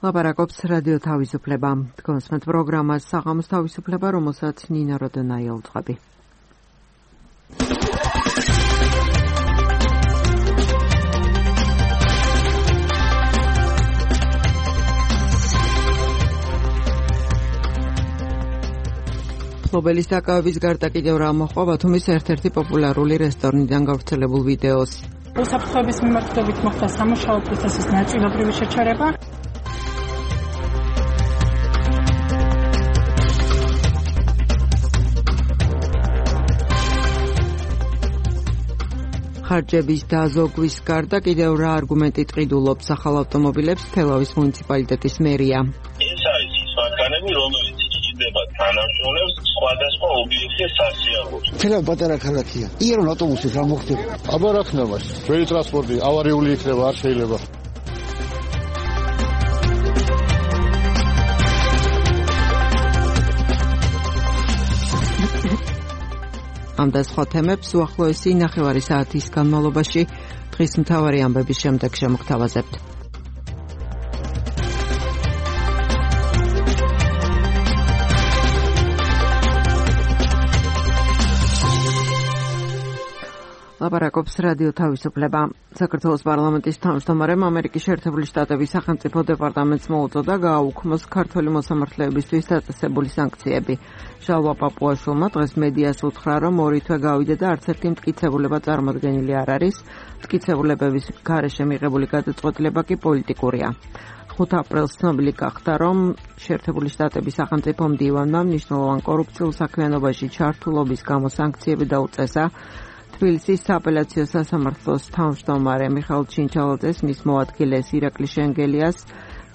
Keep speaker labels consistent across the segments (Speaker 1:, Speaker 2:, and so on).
Speaker 1: ლაპარაკობს რადიო თავისუფლება. თქვენსმეთ პროგრამას საღამოს თავისუფლება, რომელსაც ნინა როდონაი აუწყები. მფლობელის დაკავების გარდა კიდევ რა მოხდა ბათუმის ერთ-ერთი პოპულარული რესტორნიდან გავრცელებულ ვიდეოს.
Speaker 2: უსაფრთხოების მიმართულებით მოხდა სამუშაო პროცესის ნაწილობრივი შეჩერება. ხარჯების დაზოგვის გარდა კიდევ რა არგუმენტი ტყიდულობს ახალ ავტომობილებს თელავის მუნიციპალიტეტის მერია.
Speaker 3: ეს არის ის მანქანები, რომელიც იძლევა თანამშრომლებს სხვადასხვა ობიექტის სასიარულოდ.
Speaker 4: თელავი პატარა ქალაქია. იერონ ავტობუსით რა მოხდება?
Speaker 5: აბა რა ქნა მას? ველი ტრანსპორტი ავარიული იქნება, არ შეიძლება.
Speaker 1: ამ და სხვა თემებს უახლოესი 9 საათის განმავლობაში დღის მთავარი ამბების შემდეგ შემოგთავაზებთ. ლაპარაკობს რადიო თავისუფლება. საქართველოს პარლამენტის თავმჯდომარემ ამერიკის შეერთებული შტატების სახელმწიფო დეპარტამენტს მოუწოდა გააუქმოს ქართველი მოსამართლეებისთვის დაწესებული სანქციები. ჟალვა პაპუაშვილმა დღეს მედიას უთხრა, რომ 2 თვე გავიდა და არც ერთი მტკიცებულება წარმოდგენილი არ არის. მტკიცებულებების გარეშე მიღებული გადაწყვეტილება კი პოლიტიკურია. 5 აპრილს ცნობილი გახდა, რომ შეერთებული შტატების სახელმწიფო მდივანმა მნიშვნელოვან კორუფციულ საქმიანობაში ჩართულობის გამო სანქციები დაუწესა. თბილისის სააპელაციო სასამართლოს თავმჯდომარე მიხაილ ჩინჩალაძეს, მის მოადგილეს ირაკლი შენგელიას,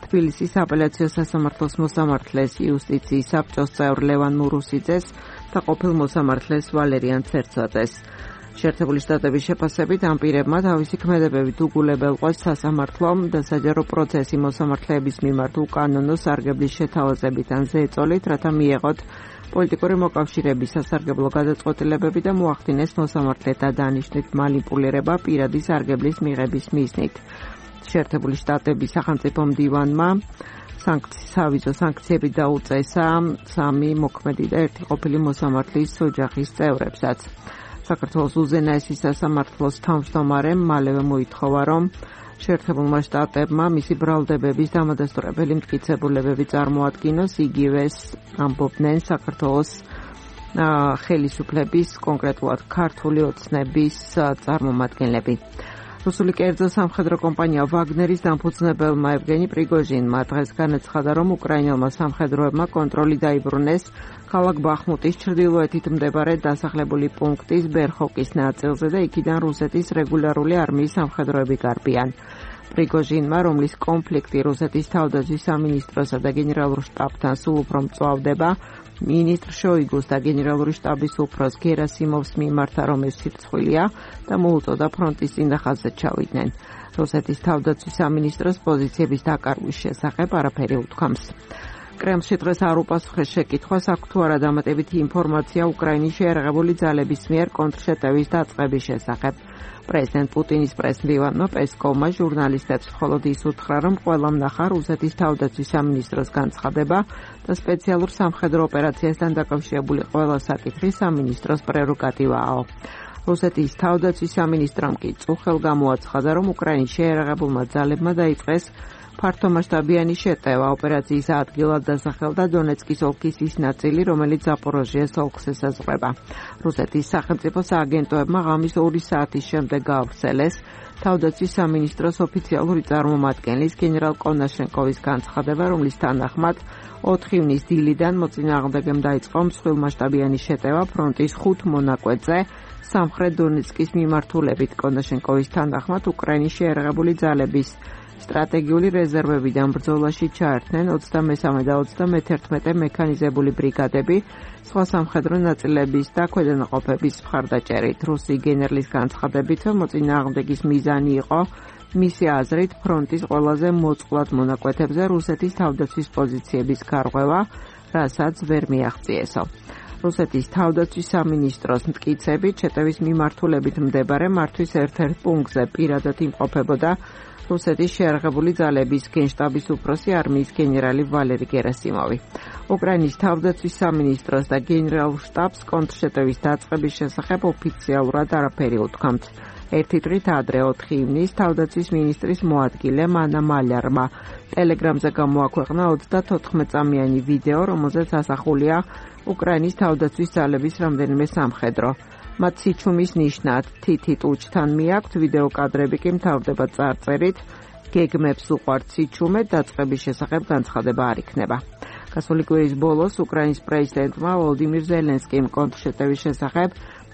Speaker 1: თბილისის სააპელაციო სასამართლოს მოსამართლეს იუსტიციის საბჭოს წევრ ლევან მურუსიძეს და ყოფილ მოსამართლეს ვალერიან ცერცაძეს. შეერთებული შტატების შეფასებით ამ პირებმა თავისი ქმედებებით უგულებელყვეს სასამართლომ და საჯარო პროცესი მოსამართლეების მიმართ უკანონო სარგებლის შეთავაზებით ან ზეწოლით, რათა მიეღოთ პოლიტიკური მოკავშირეების სასარგებლო გადაწყვეტილებები და მოახდინეს მოსამართლეთა დანიშვნით მანიპულირება პირადი სარგებლის მიღების მიზნით. შეერთებული შტატების სახელმწიფო მდივანმა სავიზო სანქციები დაუწესა 3 მოქმედი და 1 ყოფილი მოსამართლის ოჯახის წევრებსაც. საქართველოს უზენაესი სასამართლოს თავმჯდომარემ მალევე მოითხოვა, რომ შეერთებულმა შტატებმა მისი ბრალდებების დამადასტურებელი მტკიცებულებები წარმოადგინოს, იგივეს ამბობდნენ საქართველოს ხელისუფლების, კონკრეტულად ქართული ოცნების წარმომადგენლები. რუსული კერძო სამხედრო კომპანია ვაგნერის დამფუძნებელმა ევგენი პრიგოჟინმა დღეს განაცხადა, რომ უკრაინელმა სამხედროებმა კონტროლი დაიბრუნეს ქალაქ ბახმუტის ჩრდილოეთით მდებარე დასახლებული პუნქტის ბერხოკის ნაწილზე და იქიდან რუსეთის რეგულარული არმიის სამხედროები გარბიან. პრიგოჟინმა, რომლის კონფლიქტი რუსეთის თავდაცვის სამინისტროსა და გენერალურ შტაბთან სულ უფრო მწვავდება, მინისტრ შოიგუს და გენერალური შტაბის უფროს გერასიმოვს მიმართა, რომ ეს სირცხვილია და მოუწოდა ფრონტის წინახაზზე ჩავიდნენ. რუსეთის თავდაცვის სამინისტროს პოზიციების დაკარგვის შესახებ არაფერი უთქვამს. კრემლში დღეს არ უპასუხეს შეკითხვას, აქვს თუ არა დამატებითი ინფორმაცია უკრაინის შეიარაღებული ძალების მიერ კონტრშეტევის დაწყების შესახებ. პრეზიდენტ პუტინის პრესმდივანმა პესკოვმა ჟურნალისტებს მხოლოდ ის უთხრა, რომ ყველამ ნახა რუსეთის თავდაცვის სამინისტროს განცხადება და სპეციალურ სამხედრო ოპერაციასთან დაკავშირებული ყველა საკითხი სამინისტროს პრეროგატივაა. რუსეთის თავდაცვის სამინისტრომ კი წუხელ გამოაცხადა, რომ უკრაინის შეიარაღებულმა ძალებმა დაიწყეს ფართომასშტაბიანი შეტევა ოპერაციის ადგილად დასახელდა დონეცკის ოლქის ის ნაწილი, რომელიც ზაპოროჟიეს ოლქს ესაზღვრება. რუსეთის სახელმწიფო სააგენტოებმა ღამის 2 საათის შემდეგ გაავრცელეს თავდაცვის სამინისტროს ოფიციალური წარმომადგენლის გენერალ კონაშენკოვის განცხადება, რომლის თანახმად 4 ივნის დილიდან მოწინააღმდეგემ დაიწყო მსხვილმასშტაბიანი შეტევა ფრონტის 5 მონაკვეთზე სამხრეთ დონეცკის მიმართულებით. კონაშენკოვის თანახმად უკრაინის შეიარაღებული ძალების სტრატეგიული რეზერვებიდან ბრძოლაში ჩაერთნენ 23 და 31 მექანიზებული ბრიგადები, სხვა სამხედრო ნაწილების და ქვედანაყოფების მხარდაჭერით. რუსი გენერლის განცხადებით, მოწინააღმდეგის მიზანი იყო მისი აზრით ფრონტის ყველაზე მოწყვლად მონაკვეთებზე რუსეთის თავდაცვის პოზიციების გარღვევა, რასაც ვერ მიაღწიესო. რუსეთის თავდაცვის სამინისტროს მტკიცებით, შეტევის მიმართულებით მდებარე მართვის ერთ-ერთ პუნქტზე პირადად იმყოფებოდა რუსეთის შეიარაღებული ძალების გენშტაბის უფროსი არმიის გენერალი ვალერი გერასიმოვი. უკრაინის თავდაცვის სამინისტროს და გენერალურ შტაბს კონტრშეტევის დაწყების შესახებ ოფიციალურად არაფერი უთქვამთ. ერთი დღით ადრე 4 ივნისს თავდაცვის მინისტრის მოადგილე მანა მალარმა ტელეგრამზე გამოაქვეყნა 34-წამიანი ვიდეო, რომელზეც ასახულია უკრაინის თავდაცვის ძალების რამდენიმე სამხედრო. მათ სიჩუმის ნიშნად თითი ტუჩთან მიაქვთ, ვიდეო კადრები კი მთავრდება წარწერით გეგმებს უყვართ სიჩუმე, დაწყების შესახებ განცხადება არ იქნება. გასული კვირის ბოლოს უკრაინის პრეზიდენტმა ვოლოდიმირ ზელენსკიმ კონტრშეტევის შესახებ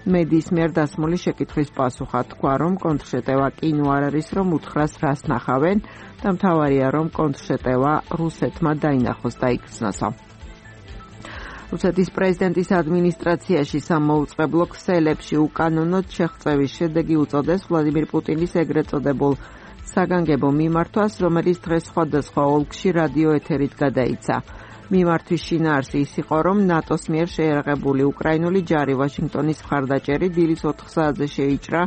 Speaker 1: მედიის მიერ დასმული შეკითხვის პასუხად თქვა, რომ კონტრშეტევა კინო არ არის, რომ უთხრას რას ნახავენ და მთავარია, რომ კონტრშეტევა რუსეთმა დაინახოს და იგრძნოსო. რუსეთის პრეზიდენტის ადმინისტრაციაში სამოუწყებლო ქსელებში უკანონოდ შეღწევის შედეგი უწოდეს ვლადიმირ პუტინის ეგრეთ წოდებულ საგანგებო მიმართვას, რომელიც დღეს სხვადასხვა ოლქში რადიო ეთერით გადაიცა. მიმართვის შინაარსი ის იყო, რომ ნატოს მიერ შეიარაღებული უკრაინული ჯარი ვაშინგტონის მხარდაჭერით დილის 4 საათზე შეიჭრა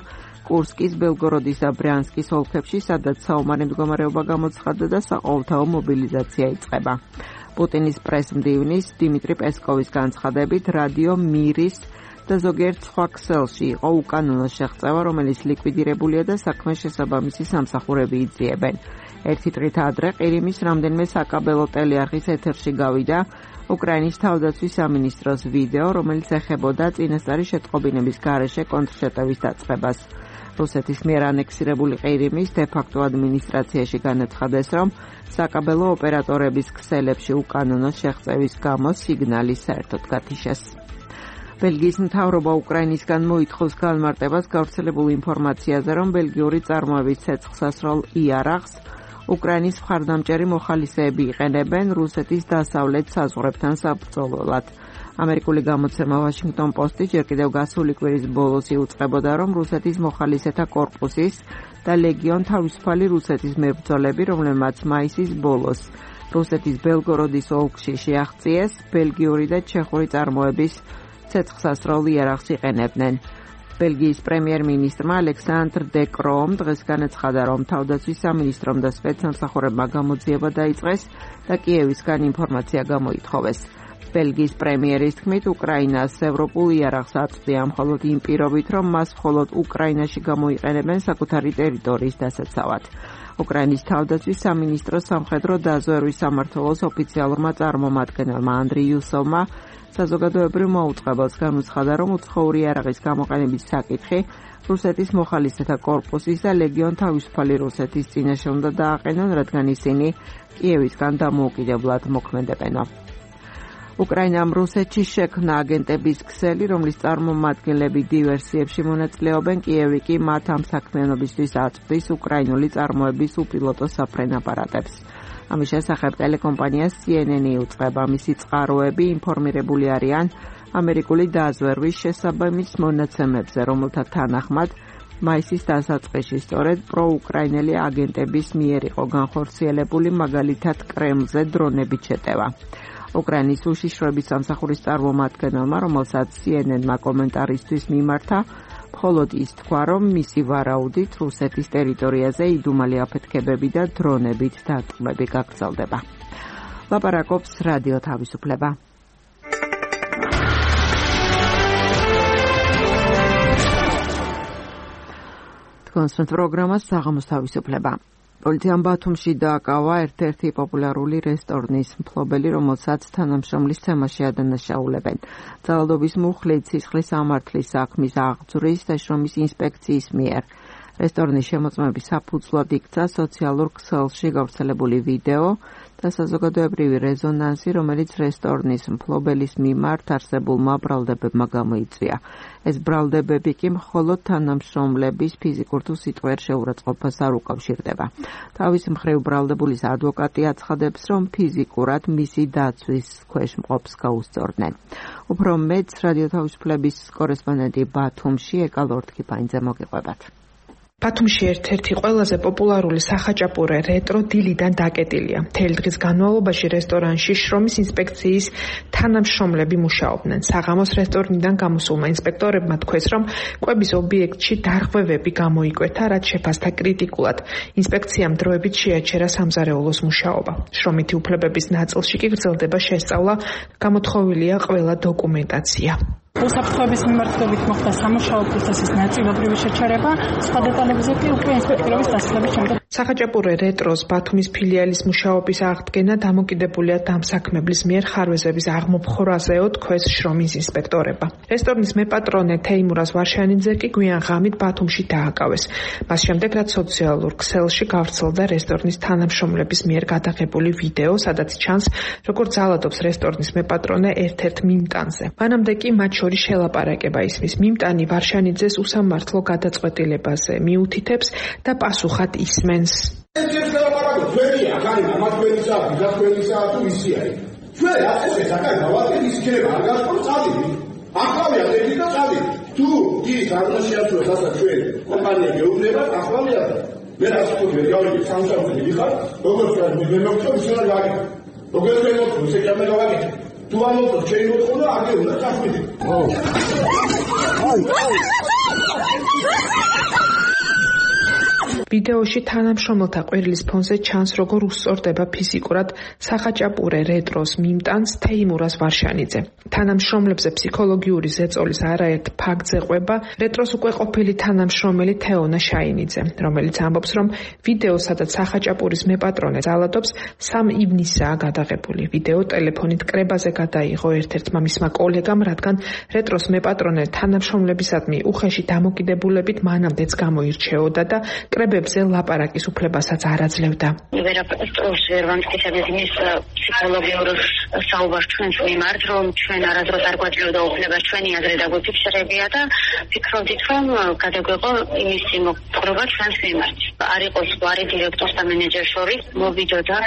Speaker 1: კურსკის, ბელგოროდის და ბრიანსკის ოლქებში, სადაც საომარი მდგომარეობა გამოცხადდა და საყოველთაო მობილიზაცია იწყება. პუტინის პრესმდივნის დიმიტრი პესკოვის განცხადებით, რადიო მირის და ზოგიერთ სხვა ქსელში იყო უკანონო შეღწევა, რომელიც ლიკვიდირებულია და საქმეს შესაბამისი სამსახურები იძიებენ. ერთი დღით ადრე ყირიმის რამდენიმე საკაბელო ტელეარხის ეთერში გავიდა უკრაინის თავდაცვის სამინისტროს ვიდეო, რომელიც ეხებოდა წინასწარი შეტყობინების გარეშე კონტრშეტევის დაწყებას. რუსეთის მიერ ანექსირებული ყირიმის დე-ფაქტო ადმინისტრაციაში განაცხადეს, რომ საკაბელო ოპერატორების ქსელებში უკანონო შეღწევის გამო სიგნალი საერთოდ გათიშეს. ბელგიის მთავრობა უკრაინისგან მოითხოვს განმარტებას გავრცელებულ ინფორმაციაზე, რომ ბელგიური წარმოების ცეცხლსასროლ იარაღს უკრაინის მხარდამჭერი მოხალისეები იყენებენ რუსეთის დასავლეთ საზღვრებთან საბრძოლველად. ამერიკული გამოცემა ვაშინგტონ პოსტი ჯერ კიდევ გასული კვირის ბოლოს იუწყებოდა, რომ რუსეთის მოხალისეთა კორპუსის და ლეგიონ თავისუფალი რუსეთის მებრძოლები, რომლებმაც მაისის ბოლოს რუსეთის ბელგოროდის ოლქში შეაღწიეს, ბელგიური და ჩეხური წარმოების ცეცხლსასროლ იარაღს იყენებდნენ. ბელგიის პრემიერ-მინისტრმა ალექსანდრ დე კროომ დღეს განაცხადა, რომ თავდაცვის სამინისტრომ და სპეცსამსახურებმა გამოძიება დაიწყეს და კიევისგან ინფორმაცია გამოითხოვეს. ბელგიის პრემიერის თქმით, უკრაინას ევროპულ იარაღს აწვდია მხოლოდ იმ პირობით, რომ მას მხოლოდ უკრაინაში გამოიყენებენ საკუთარი ტერიტორიის დასაცავად. უკრაინის თავდაცვის სამინისტროს სამხედრო დაზვერვის სამმართველოს ოფიციალურმა წარმომადგენელმა ანდრი იუსოვმა საზოგადოებრივ მოუწყებელს განუცხადა, რომ უცხოური იარაღის გამოყენების საკითხი რუსეთის მოხალისეთა კორპუსის და ლეგიონ თავისუფალი რუსეთის წინაშე უნდა დააყენონ, რადგან ისინი კიევისგან დამოუკიდებლად მოქმედებენო. უკრაინამ რუსეთში შექმნა აგენტების ქსელი, რომლის წარმომადგენლები დივერსიებში მონაწილეობენ, კიევი კი მათ ამ საქმიანობისთვის აწვდის უკრაინული წარმოების უპილოტო საფრენ აპარატებს. ამის შესახებ ტელეკომპანია CNN იუწყება, მისი წყაროები ინფორმირებული არიან ამერიკული დაზვერვის შესაბამის მონაცემებზე, რომელთა თანახმად მაისის დასაწყისში სწორედ პროუკრაინელი აგენტების მიერ იყო განხორციელებული მაგალითად კრემლზე დრონებით შეტევა. უკრაინის უშიშროების სამსახურის წარმომადგენელმა, რომელსაც CNN-მა კომენტარისთვის მიმართა, მხოლოდ ის თქვა, რომ მისი ვარაუდით რუსეთის ტერიტორიაზე იდუმალი აფეთქებები და დრონებით დატყვევები გაგრძელდება. ლაპარაკობს რადიო თავისუფლება. თქვენს პროგრამას საღამოს თავისუფლება. პოლიციამ ბათუმში დააკავა ერთ-ერთი პოპულარული რესტორნის მფლობელი, რომელსაც თანამშრომლის ცემაში ადანაშაულებენ. ძალადობის მუხლით სისხლის ამართლის საქმის აღძვრის და შრომის ინსპექციის მიერ. რესტორნის შემოწმების საფუძვლად იქცა სოციალურ ქსელში გავრცელებული ვიდეო და საზოგადოებრივი რეზონანსი, რომელიც რესტორნის მფლობელის მიმართ არსებულმა ბრალდებებმა გამოიწვია. ეს ბრალდებები კი მხოლოდ თანამშრომლების ფიზიკურ თუ სიტყვიერ შეურაცხყოფას არ უკავშირდება. თავის მხრივ ბრალდებულის ადვოკატი აცხადებს, რომ ფიზიკურად მისი დაცვის ქვეშ მყოფს გაუსწორდნენ. უფრო მეტს რადიო თავისუფლების კორესპონდენტი ბათუმში ეკალ ორთქიფანიძე მოგიყვებათ.
Speaker 6: ბათუმში ერთ-ერთი ყველაზე პოპულარული სახაჭაპურე რეტრო დილიდან დაკეტილია. მთელი დღის განმავლობაში რესტორანში შრომის ინსპექციის თანამშრომლები მუშაობდნენ. საღამოს რესტორნიდან გამოსულმა ინსპექტორებმა თქვეს, რომ კვების ობიექტში დარღვევები გამოიკვეთა, რაც შეფასდა კრიტიკულად. ინსპექციამ დროებით შეაჩერა სამზარეულოს მუშაობა. შრომითი უფლებების ნაწილში კი გრძელდება შესწავლა, გამოთხოვილია ყველა დოკუმენტაცია.
Speaker 7: უსაფრთხოების მიმართულებით მოხდა სამუშაო პროცესის ნაწილობრივი შეჩერება, სხვა დეტალებზე კი უკვე ინსპექტორების დასწრების შემდეგ.
Speaker 6: სახაჭაპურე რეტროს ბათუმის ფილიალის მუშაობის აღდგენა დამოკიდებულია დამსაქმებლის მიერ ხარვეზების აღმოფხვრაზეო თქვეს შრომის ინსპექტორება. რესტორნის მეპატრონე თეიმურაზ ვარშანიძე კი გვიან ღამით ბათუმში დააკავეს. მას შემდეგ რაც სოციალურ ქსელში გავრცელდა რესტორნის თანამშრომლების მიერ გადაღებული ვიდეო, სადაც ჩანს, როგორც ძალადობს რესტორნის მეპატრონე ერთ-ერთ მიმტანზე. მანამდე კი მათ შორის შელაპარაკება ისმის. მიმტანი ვარშანიძეს უსამართლო გადაწყვეტილებაზე მიუთითებს და პასუხად ისმენს.
Speaker 8: ეს შელაპარაკო ჩვენია, ხარინა, მათ ჩვენისაა, თქვენისაა თუ ისია. ჩვენ ასე შეზაკან დავატენ ის იქნება, არ გასწორ წადი. ახლავია ერთი და წადი. თუ ის არ შეასრულოს ასა ჩვენ კომპანია გეუბნება, ახლავია. მე რას ვთქვი, გავიგე სამსახური ვიხარ, როგორც მე მოგწევ ისე რა გაგიგე. როგორც მე მოგწევ ისე რა გავაგე. თუ არ მოგწევ ჩვენ მოთხოვნა, აგე უნდა წახვიდე.
Speaker 6: ვიდეოში თანამშრომელთა ყვირილის ფონზე ჩანს, როგორ უსწორდება ფიზიკურად სახაჭაპურე რეტროს მიმტანს თეიმურაზ ვარშანიძე. თანამშრომლებზე ფსიქოლოგიური ზეწოლის არაერთ ფაქტზე ყვება რეტროს უკვე ყოფილი თანამშრომელი თეონა შაინიძე, რომელიც ამბობს, რომ ვიდეო, სადაც სახაჭაპურის მეპატრონე ძალადობს, 3 ივნისაა გადაღებული. ვიდეო ტელეფონით კრებაზე გადაიღო ერთ-ერთმა მისმა კოლეგამ, რადგან რეტროს მეპატრონე თანამშრომლებისადმი უხეში დამოკიდებულებით მანამდეც გამოირჩეოდა და კრებებზე ლაპარაკის უფლებასაც არ აძლევდა.
Speaker 9: ვერაფერს ვერ ვამტკიცებთ იმის ფსიქოლოგიურ საუბარს ჩვენს მიმართ, რომ ჩვენ არასდროს არ გვაძლევდა უფლებას ჩვენი აზრი დაგვიფიქსირებია და ფიქრობდით, რომ გადაგვეყო იმის მოპყრობა ჩვენს მიმართ. არ იყო ზღვარი დირექტორს და მენეჯერს შორის მოვიდოდა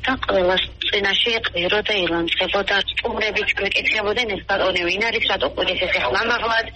Speaker 9: და ყველას წინაშე ყირო და ილანძღებოდა. სტუმრებიც გვეკითხებოდნენ, ეს ბატონი ვინ არის, რატო ყვირის ეს ხმამაღლად,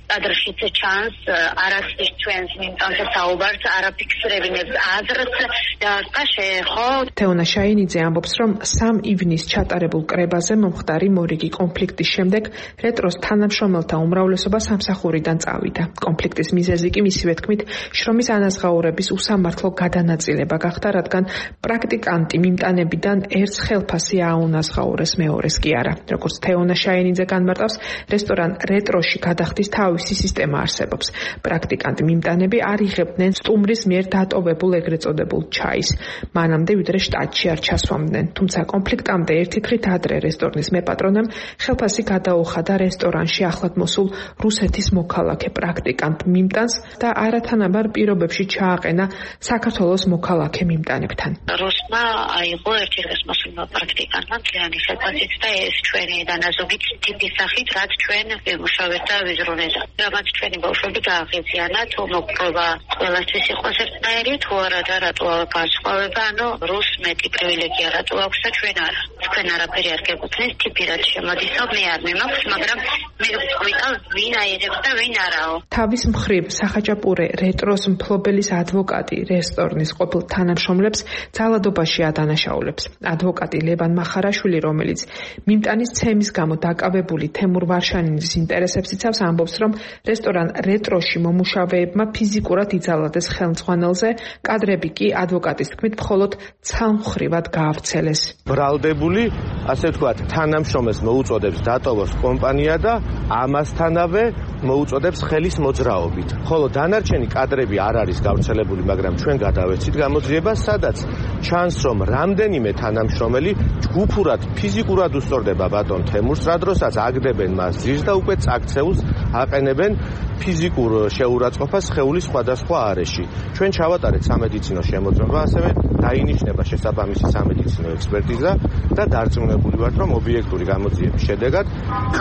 Speaker 9: კადრშიც ჩანს არასდროს ჩვენს მიმტანზე საუბარს არაფიქსირებინებს აზრს და შეეხო.
Speaker 6: თეონა შაინიძე ამბობს, რომ 3 ივნისს ჩატარებულ კრებაზე მომხდარი მორიგი კონფლიქტის შემდეგ რეტროს თანამშრომელთა უმრავლესობა სამსახურიდან წავიდა. კონფლიქტის მიზეზი კი მისივე თქმით შრომის ანაზღაურების უსამართლო გადანაწილება გახდა, რადგან პრაქტიკანტი მიმტანებიდან ერთს ხელფასი აუნაზღაურეს, მეორეს კი არა. როგორც თეონა შაინიძე განმარტავს, რესტორან რეტროში გადახდის თავისი სისტემა არსებობს. პრაქტიკანტი მიმტანები არ იღებდნენ სტუმრის მიერ დატოვებულ ეგრეთ წოდებულ ჩაის. მანამდე ვიდრე შტატში არ ჩასვამდნენ. თუმცა კონფლიქტამდე ერთი დღით ადრე რესტორნის მეპატრონემ ხელფასი გადაუხადა რესტორანში ახლად მოსულ რუსეთის მოქალაქე პრაქტიკანტ მიმტანს და არათანაბარ პირობებში ჩააყენა საქართველოს მოქალაქე მიმტანებთან.
Speaker 9: რუსმა აიღო ერთი დღის მოსულმა პრაქტიკანტმა მთლიანი ხელფასით და ეს ჩვენი დანაზოგი ტიპის სახით, რაც ჩვენ ვიმუშავეთ და ვიზრუნეთ. რამაც ჩვენი ბავშვები გააღიზიანა, თუ მოპყრობა ყველასთვის იყოს ერთნაირი, თუ არა და რატო განსხვავება, ანუ რუს მეტი პრივილეგია რატო აქვს და ჩვენ არა. თქვენ არაფერი არ გეკუთვნის, ტიპი რაც შემოდისო, მე არ მიმაქვს, მაგრამ მე ვიტყვი, ვინ აიღებს და ვინ არაო.
Speaker 6: თავის მხრივ სახაჭაპურე რეტროს მფლობელის ადვოკატი რესტორნის ყოფილ თანამშრომლებს ძალადობაში ადანაშაულებს. ადვოკატი ლევან მახარაშვილი, რომელიც მიმტანის ცემის გამო დაკავებული თემურ ვარშანიძის ინტერესებს იცავს, ამბობს, რომ რესტორან რეტროში მომუშავეებმა ფიზიკურად იძალადეს ხელმძღვანელზე, კადრები კი ადვოკატის თქმით მხოლოდ ცალმხრივად გაავრცელეს.
Speaker 10: ბრალდებული, ასე ვთქვათ, თანამშრომელს მოუწოდებს დატოვოს კომპანია და ამასთანავე მოუწოდებს ხელის მოძრაობით. ხოლო დანარჩენი კადრები არ არის გავრცელებული, მაგრამ ჩვენ გადავეცით გამოძიებას, სადაც ჩანს, რომ რამდენიმე თანამშრომელი ჯგუფურად ფიზიკურად უსწორდება ბატონ თემურს, რადგანაც აგდებენ მას ძირს და უკვე წაქცეულს აყენებენ ფიზიკურ შეურაცხყოფას სხეულის სხვადასხვა არეში. ჩვენ ჩავატარეთ სამედიცინო შემოწმება, ასევე დაინიშნება შესაბამისი სამედიცინო ექსპერტიზა და დარწმუნებული ვართ, რომ ობიექტური გამოძიების შედეგად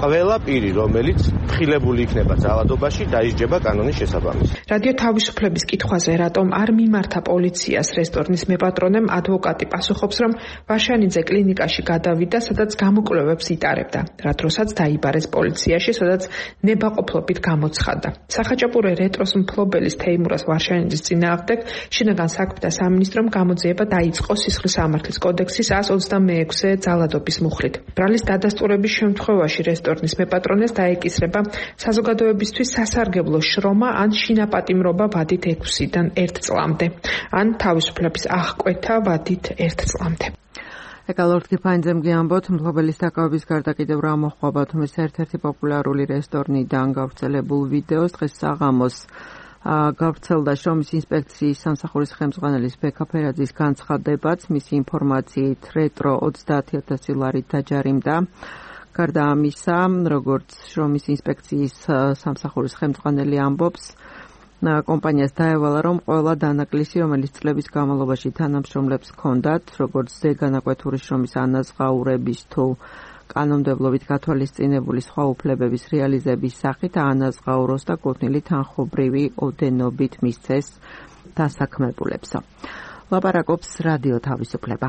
Speaker 10: ყველა პირი, რომელიც ფრთხილებული იქნება ძალადობაში, დაისჯება კანონის შესაბამისად.
Speaker 6: რადიო თავისუფლების კითხვაზე, რატომ არ მიმართა პოლიციას რესტორნის მეპატრონემ, ადვოკატი პასუხობს, რომ ვარშანიძე კლინიკაში გადავიდა, სადაც გამოკვლევებს იტარებდა. რა დროსაც დაიბარეს პოლიციაში, სადაც ნება უკმაყოფილებით გამოცხადდა. სახაჭაპურე რეტროს მფლობელის თეიმურას ვარშანიძის წინააღმდეგ შინაგან საქმეთა სამინისტრომ გამოძიება დაიწყო სისხლის სამართლის კოდექსის 126-ე ძალადობის მუხლით. ბრალის დადასტურების შემთხვევაში რესტორნის მეპატრონეს დაეკისრება საზოგადოებისთვის სასარგებლო შრომა ან შინაპატიმრობა ვადით 6-დან 1 წლამდე, ან თავისუფლების აღკვეთა ვადით 1 წლამდე.
Speaker 1: ეკალორდ კიფაინძემ გიამბოთ, მფლობელის დაკავების გარდა კიდევ რა მოხდა ბათუმის ერთ-ერთი პოპულარული რესტორნიდან გავრცელებულ ვიდეოს დღეს საღამოს გავრცელდა შრომის ინსპექციის სამსახურის ხელმძღვანელის ბექა ფერაძის განცხადებაც, მისი ინფორმაციით რეტრო 30,000 ლარით დაჯარიმდა. გარდა ამისა, როგორც შრომის ინსპექციის სამსახურის ხელმძღვანელი ამბობს, კომპანიას დაევალა, რომ ყველა დანაკლისი, რომელიც წლების განმავლობაში თანამშრომლებს ჰქონდათ, როგორც ზეგანაკვეთური შრომის ანაზღაურების თუ კანონმდებლობით გათვალისწინებული სხვა უფლებების რეალიზების სახით აანაზღაუროს და კუთვნილი თანხმობრივი ოდენობით მისცეს დასაქმებულებსო. ლაპარაკობს რადიო თავისუფლება.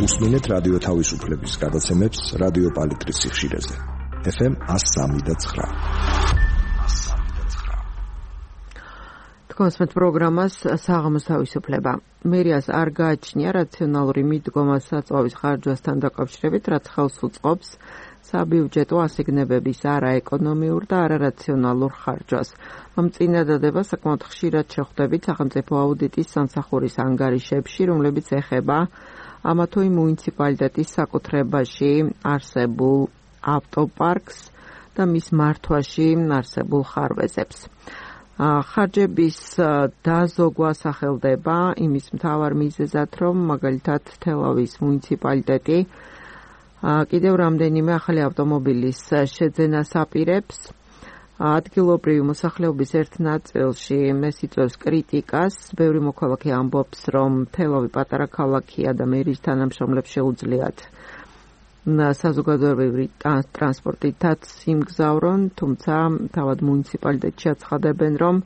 Speaker 11: უსმინეთ რადიო თავისუფლების გადაცემებს რადიო პალიტრის სიხშირეზე. FM 103.9.
Speaker 1: თქვენს პროგრამას საღამოს თავისუფლება. მერიას არ გააჩნია რაციონალური მიდგომა საწვავის ხარჯვასთან დაკავშირებით, რაც ხელს უწყობს საბიუჯეტო ასიგნებების არაეკონომიურ და არარაციონალურ ხარჯვას. ამ წინადადება საკმაოდ ხშირად შეხვდებით სახელმწიფო აუდიტის სამსახურის ანგარიშებში, რომლებიც ეხება ამა თუ იმ მუნიციპალიტეტის საკუთრებაში არსებულ ავტოპარკს და მის მართვაში არსებულ ხარვეზებს. ხარჯების დაზოგვა სახელდება იმის მთავარ მიზეზად, რომ მაგალითად თელავის მუნიციპალიტეტი კიდევ რამდენიმე ახალი ავტომობილის შეძენას აპირებს. ადგილობრივი მოსახლეობის ერთ ნაწილში ეს იწვევს კრიტიკას. ბევრი მოქალაქე ამბობს, რომ თელავი პატარა ქალაქია და მერის თანამშრომლებს შეუძლიათ საზოგადოებრივი ტრანსპორტითაც იმგზავრონ, თუმცა თავად მუნიციპალიტეტში აცხადებენ, რომ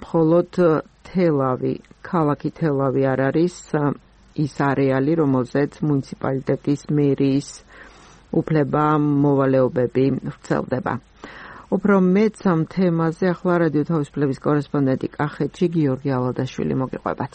Speaker 1: მხოლოდ ქალაქი თელავი არ არის ის არეალი, რომელზეც მუნიციპალიტეტის მერიის უფლება მოვალეობები ვრცელდება. უფრო მეც ამ თემაზე ახლა რადიო თავისუფლების კორესპონდენტი კახეთში გიორგი ალადაშვილი მოგიყვებათ.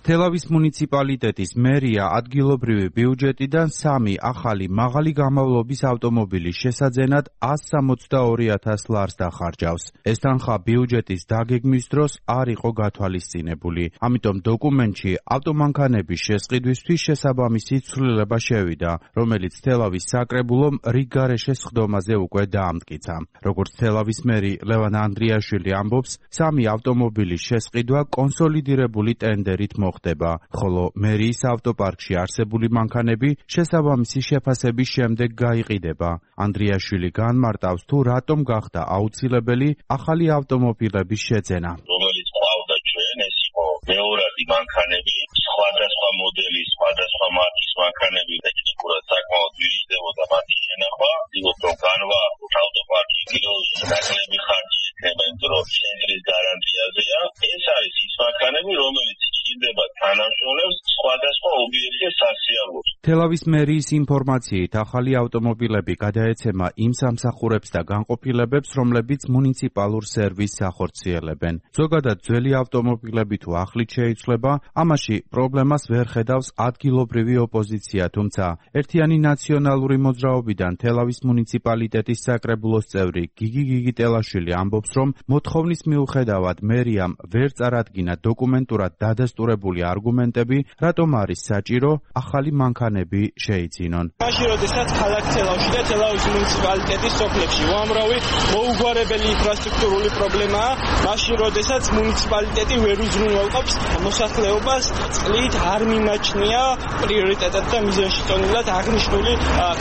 Speaker 12: თელავის მუნიციპალიტეტის მერია ადგილობრივი ბიუჯეტიდან 3 ახალი მაღალი გამოვლობის ავტომობილის შესაძენად 162,000 ლარს დახარჯავს. ეს თანხა ბიუჯეტის დაგეგმვის დროს არ იყო გათვალისწინებული. ამიტომ დოკუმენტში ავტომანქანების შესყიდვისთვის შესაბამისი ცვლილება შევიდა, რომელიც თელავის საკრებულომ რიგგარეშე სხდომაზე უკვე დაამტკიცა. როგორც თელავის მერი ლევან ანდრიაშვილი ამბობს, 3 ავტომობილის შესყიდვა კონსოლიდირებული ტენდერით მოხდება, ხოლო მერიის ავტოპარკში არსებული მანქანები შესაბამისი შეფასების შემდეგ გაიყიდება. ანდრიაშვილი განმარტავს, თუ რატომ გახდა აუცილებელი ახალი ავტომობილების შეძენა.
Speaker 3: რომელიც ყავდა ჩვენ, ეს იყო მეორადი მანქანები, სხვადასხვა მოდელის, სხვადასხვა მარკის მანქანები, ტექნიკურად საკმაოდ ვირიჯდებოდა მათი შენახვა. ვიღოთ, რომ განვაახლოთ ავტოპარკი, კიდევ ნაკლები ხარჯი ექნება, იმიტომ რომ ცენტრის გარანტიაზეა. ეს არის ის მანქანები, რომელიც ჭირდება თანამშრომლებს სხვადასხვა ობიექტზე სასიამოვნოდ.
Speaker 12: თელავის მერიის ინფორმაციით, ახალი ავტომობილები გადაეცემა იმ სამსახურებს და განყოფილებებს, რომლებიც მუნიციპალურ სერვისს ახორციელებენ. ზოგადად ძველი ავტომობილები თუ ახლით შეიცვლება, ამაში პრობლემას ვერ ხედავს ადგილობრივი ოპოზიცია, თუმცა ერთიანი ნაციონალური მოძრაობიდან თელავის მუნიციპალიტეტის საკრებულოს წევრი გიგი გიგიტელაშვილი ამბობს, რომ მოთხოვნის მიუხედავად მერიამ ვერ წარადგინა დოკუმენტურად დადასტურებული არგუმენტები, რატომ არის საჭირო ახალი მანქანები შეიძინონ.
Speaker 13: მაშინ როდესაც ქალაქ თელავში და თელავის მუნიციპალიტეტის სოფლებში უამრავი მოუგვარებელი ინფრასტრუქტურული პრობლემაა, მაშინ როდესაც მუნიციპალიტეტი ვერ უზრუნველყოფს მოსახლეობას, წყლით არ მიმაჩნია პრიორიტეტად და მიზანში ტონილად აღნიშნული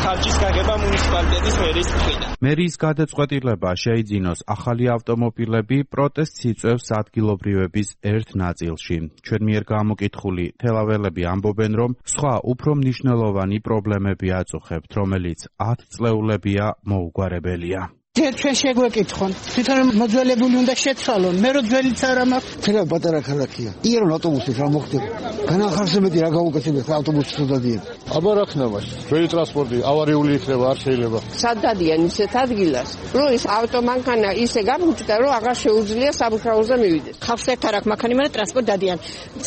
Speaker 13: ხარჯის გაგება მუნიციპალიტეტის მერიის მხრიდან. მერიის გადაწყვეტილება შეიძინოს ახალი ავტომობილები პროტესტს იწვევს ადგილობრივების ერთ ნაწილში. ჩვენ მიერ გამოკითხული თელაველები ამბობენ, რომ სხვა უფრო მნიშვნელოვანი პრობლემები აწუხებთ, რომელიც 10 წლეულებია მოუგვარებელია.
Speaker 7: ჩვენ შეგვეკითხონ, თვითონ მოძველებული უნდა შეცვალონ, მე რო ძველიც არ მაქვს.
Speaker 4: თელა პატარა ქალაქია. იერონ ავტობუსით რა მოხდება? განახარსებედი რა გაუკეთებთ ავტობუსით დადიან.
Speaker 5: აბა რა ხნა მას? ძველი ტრანსპორტი ავარიული იქნება, არ შეიძლება.
Speaker 14: სად დადიან ისეთ ადგილას, რომ ის ავტომანქანა ისე გამუჭდა, რომ აღარ შეუძლია სამუშაოზე მივიდეს.
Speaker 7: ხავს ერთ არაკ მანქანა მერე ტრანსპორტ დადიან.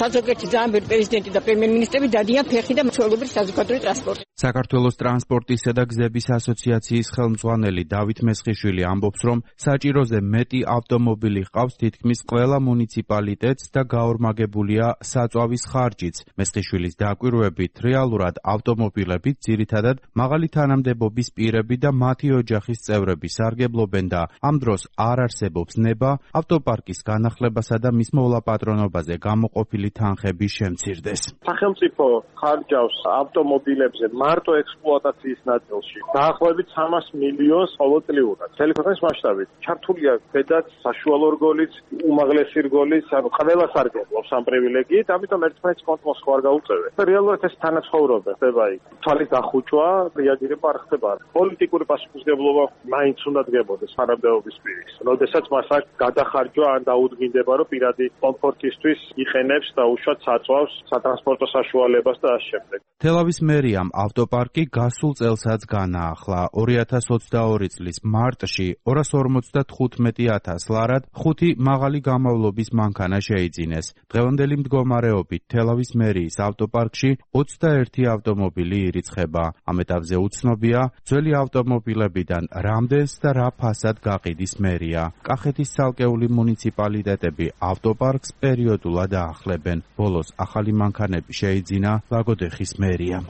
Speaker 7: საზოგადოებრივი ძალიან ბევრი პრეზიდენტი და პრემიერ-მინისტრები დადიან ფეხი და მცველობრივი საზოგადოებრივი ტრანსპორტი.
Speaker 12: საქართველოს ტრანსპორტისა და გზების ასოციაციის ხელმძღვანელი დავით მესხიშვილი ამბობს, რომ საჭიროზე მეტი ავტომობილი ჰყავს თითქმის ყველა მუნიციპალიტეტს და გაორმაგებულია საწვავის ხარჯიც. მესხიშვილის დაკვირვებით, რეალურად ავტომობილებით ძირითადად მაღალი თანამდებობის პირები და მათი ოჯახის წევრები სარგებლობენ და ამ დროს არ არსებობს ნება ავტოპარკის განახლებასა და მის მოლაპატრონობაზე გამოყოფილი თანხების შემცირდეს.
Speaker 15: სახელმწიფო ხარჯავს ავტომობილებზე მარტო ექსპლუატაციის ნაწილში დაახლოებით 300 მილიონს ყოველწლიურად. მთელი ქვეყნის მასშტაბით ჩართულია ბედაც საშუალო რგოლიც, უმაღლესი რგოლიც, ანუ ყველა სარგებლობს ამ პრივილეგიით, ამიტომ ერთმანეთს კონტროლს ხوار გაუწევენ. რეალურად ეს თანაცხოვრობა ხდება იქ. თვალის დახუჭვა, რეაგირება არ ხდება. პოლიტიკური პასუხისმგებლობა მაინც უნდა დგებოდეს თანამდებობის პირის. როდესაც მას აქ გადახარჯვა ან დაუდგინდება, რომ პირადი კომფორტისთვის იყენებს და უშუალოდ საწვავს სატრანსპორტო საშუალებას და ამ შემდეგ.
Speaker 12: თელავის მერიამ ავტოპარკი გასულ წელსაც განაახლა. 2022 წლის მარტში 255,000 ლარად 5 მაღალი გამავლობის მანქანა შეიძინეს. დღევანდელი მდგომარეობით თელავის მერიის ავტოპარკში 21 ავტომობილი ირიცხება. ამ ეტაპზე უცნობია, ძველი ავტომობილებიდან რამდენს და რა ფასად გაყიდის მერია. კახეთის ცალკეული მუნიციპალიტეტები ავტოპარკს პერიოდულად აახლებენ. ბოლოს ახალი მანქანები შეიძინა ლაგოდეხის მერიამ.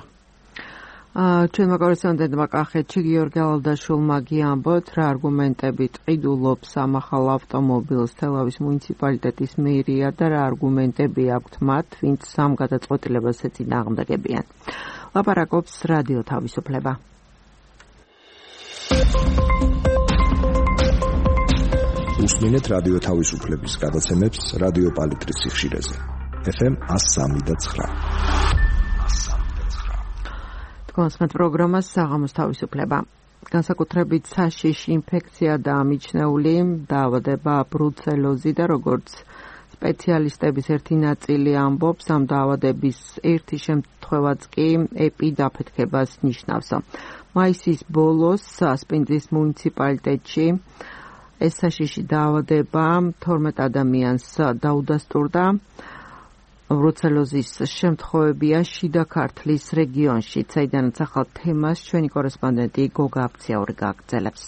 Speaker 1: ჩვენმა კორესპონდენტმა კახეთში გიორგი ალდაშულმა გიამბოთ, რა არგუმენტებით ყიდულობს ამ ახალ ავტომობილს თელავის მუნიციპალიტეტის მერია და რა არგუმენტები აქვთ მათ, ვინც ამ გადაწყვეტილებას ეწინააღმდეგებიან. ლაპარაკობს რადიო თავისუფლება.
Speaker 11: უსმინეთ რადიო თავისუფლების გადაცემებს რადიო პალიტრის სიხშირეზე. FM 103.9.
Speaker 1: კონსმეთ პროგრამას საღამოს თავისუფლება. განსაკუთრებით საშიში ინფექცია და მიჩნეული დაავადება ბრუცელოზი და როგორც სპეციალისტების ერთი ნაწილი ამბობს, ამ დაავადების ერთი შემთხვევაც კი ეპიდაფეთქებას ნიშნავს. მაისის ბოლოს სპინძის მუნიციპალიტეტში ეს საშიში დაავადება 12 ადამიანს დაუდასტურდა. ბრუცელოზის შემთხვევებია შიდა ქართლის რეგიონში, საიდანაც ახალ თემას ჩვენი კორესპონდენტი გოგა აფციაური გააგრძელებს.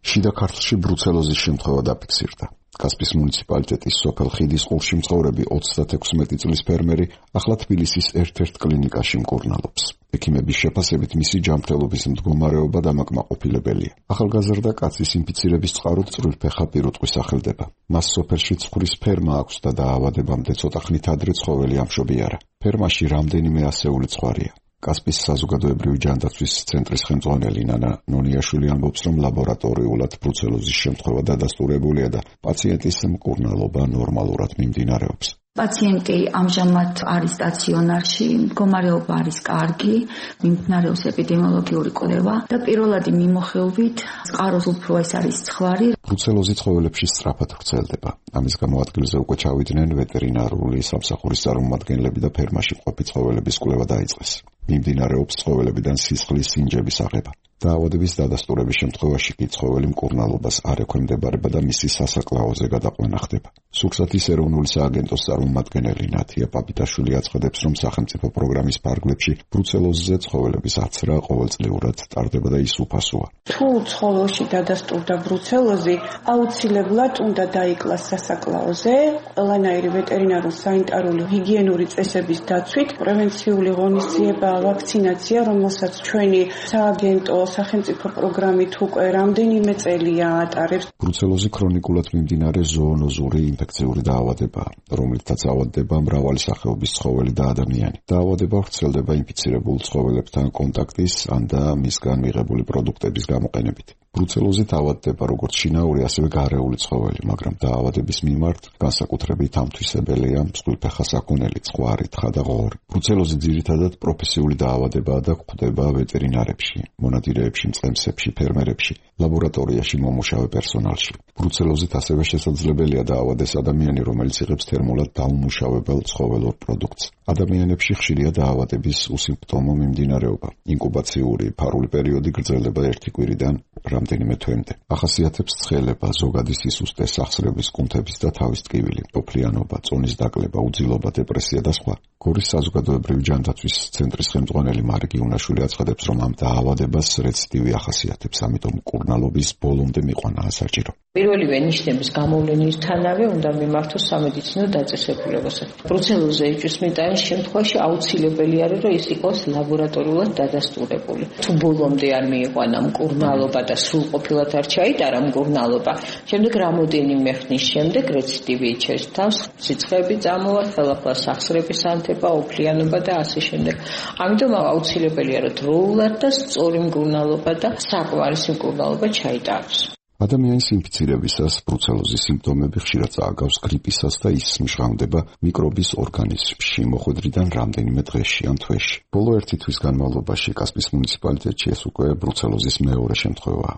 Speaker 16: შიდა ქართლში ბრუცელოზის შემთხვევა დაფიქსირდა. კასპის მუნიციპალიტეტის სოფელ ხიდის ყურში მცხოვრები 36 წლის ფერმერი ახლა თბილისის ერთ-ერთ კლინიკაში მკურნალობს. ექიმების შეფასებით მისი ჯანმრთელობის მდგომარეობა დამაკმაყოფილებელია. ახალგაზრდა კაცის ინფიცირების წყაროდ წვრილფეხა პირუტყვი სახელდება. მას სოფელში ცხვრის ფერმა აქვს და დაავადებამდე ცოტა ხნით ადრე ცხოველი ამშობიარა. ფერმაში რამდენიმე ასეული ცხვარია. კასპის საზოგადოებრივი ჯანდაცვის ცენტრის ხელმძღვანელი ნანა ნონიაშვილი ამბობს, რომ ლაბორატორიულად ბრუცელოზის შემთხვევა დადასტურებულია და პაციენტის მკურნალობა ნორმალურად მიმდინარეობს.
Speaker 17: პაციენტი ამჟამად არის სტაციონარში, მდგომარეობა არის კარგი, მიმდინარეობს ეპიდემიოლოგიური კვლევა და პირველადი მიმოხილვით წყაროს უფრო ეს არის ცხვარი.
Speaker 16: ბრუცელოზი ცხოველებში სწრაფად ვრცელდება. ამის გამო ადგილზე უკვე ჩავიდნენ ვეტერინარული სამსახურის წარმომადგენლები და ფერმაში მყოფი ცხოველების კვლევა დაიწყეს. მიმდინარეობს ცხოველებიდან სისხლის სინჯების აღება. დაავადების დადასტურების შემთხვევაში კი ცხოველი მკურნალობას არ ექვემდებარება და მისი სასაკლაოზე გადაყვანა ხდება. სურსათის ეროვნული სააგენტოს წარმომადგენელი ნათია პაპიტაშვილი აცხადებს, რომ სახელმწიფო პროგრამის ფარგლებში ბრუცელოზზე ცხოველების აცრა ყოველწლიურად ტარდება და ის უფასოა.
Speaker 18: თუ ცხოველში დადასტურდა ბრუცელოზი, აუცილებლად უნდა დაიკლას სასაკლაოზე, ყველანაირი ვეტერინარული სანიტარული ჰიგიენური წესების დაცვით, პრევენციული ღონისძიება, ვაქცინაცია, რომელსაც ჩვენი სააგენტო სახელმწიფო პროგრამით უკვე რამდენიმე წელია ატარებს.
Speaker 16: ბრუცელოზი ქრონიკულად მიმდინარე ზოონოზური ინფექციური დაავადებაა, რომლითაც ავადდება მრავალი სახეობის ცხოველი და ადამიანი. დაავადება ვრცელდება ინფიცირებულ ცხოველებთან კონტაქტის ან და მისგან მიღებული პროდუქტების გამოყენებით. ბრუცელოზით ავადდება როგორც შინაური, ასევე გარეული ცხოველი, მაგრამ დაავადების მიმართ განსაკუთრებით ამთვისებელია მსხვილფეხა საქონელი, ცხვარი, თხა და ღორი. ბრუცელოზი ძირითადად პროფესიული დაავადებაა და გვხვდება ვეტერინარებში, მონადირეებში, მწყემსებში, ფერმერებში, ლაბორატორიაში მომუშავე პერსონალში. ბრუცელოზით ასევე შესაძლებელია დაავადეს ადამიანი, რომელიც იღებს თერმულად დაუმუშავებელ ცხოველურ პროდუქტს. ადამიანებში ხშირია დაავადების უსიმპტომო მიმდინარეობა. ინკუბაციური ფარული პერიოდი გრძელდება 1 კვირიდან რამდენიმე თვემდე. ახასიათებს ცხელება, ზოგადი სისუსტე, სახსრების, კუნთების და თავის ტკივილი, ტოფლიანობა, წონის დაკლება, უძილობა, დეპრესია და სხვა. გორის საზოგადოებრივი ჯანდაცვის ცენტრის ხელმძღვანელი მარგი უნაშვილი აცხადებს, რომ ამ დაავადებას რეციდივი ახასიათებს, ამიტომ მკურნალობის ბოლომდე მიყვანაა საჭირო.
Speaker 19: პირველივე ნიშნების გამოვლენისთანავე უნდა მიმართოს სამედიცინო დაწესებულებაზე. ბრუცელოზზე იჭვისმიტანის შემთხვევაში აუცილებელი არის, რომ ის იყოს ლაბორატორიულად დადასტურებული. თუ ბოლომდე არ მიიყვანა მკურნალობა და სრულყოფილად არ ჩაიტარა მკურნალობა, შემდეგ რამოდენიმე ხნის შემდეგ რეციდივი იჩენს თავს, სიცხეები წამოვა, ხელახლა სახსრების ანთება, ოფლიანობა და ასე შემდეგ. ამიტომ აუცილებელია, რომ დროულად და სწორი მკურნალობა და საკმარისი მკურნალობა ჩაიტაროს.
Speaker 16: ადამიანის ინფიცირებისას ბრუცელოზის სიმპტომები ხშირად წააგავს გრიპისას და ის მჟღავდება მიკრობის ორგანიზმში მოხვედრიდან რამდენიმე დღეში ან თვეში. ბოლო 1 თვის განმავლობაში კასპიის მუნიციპალიტეტში ეს უკვე ბრუცელოზის მეორე შემთხვევაა.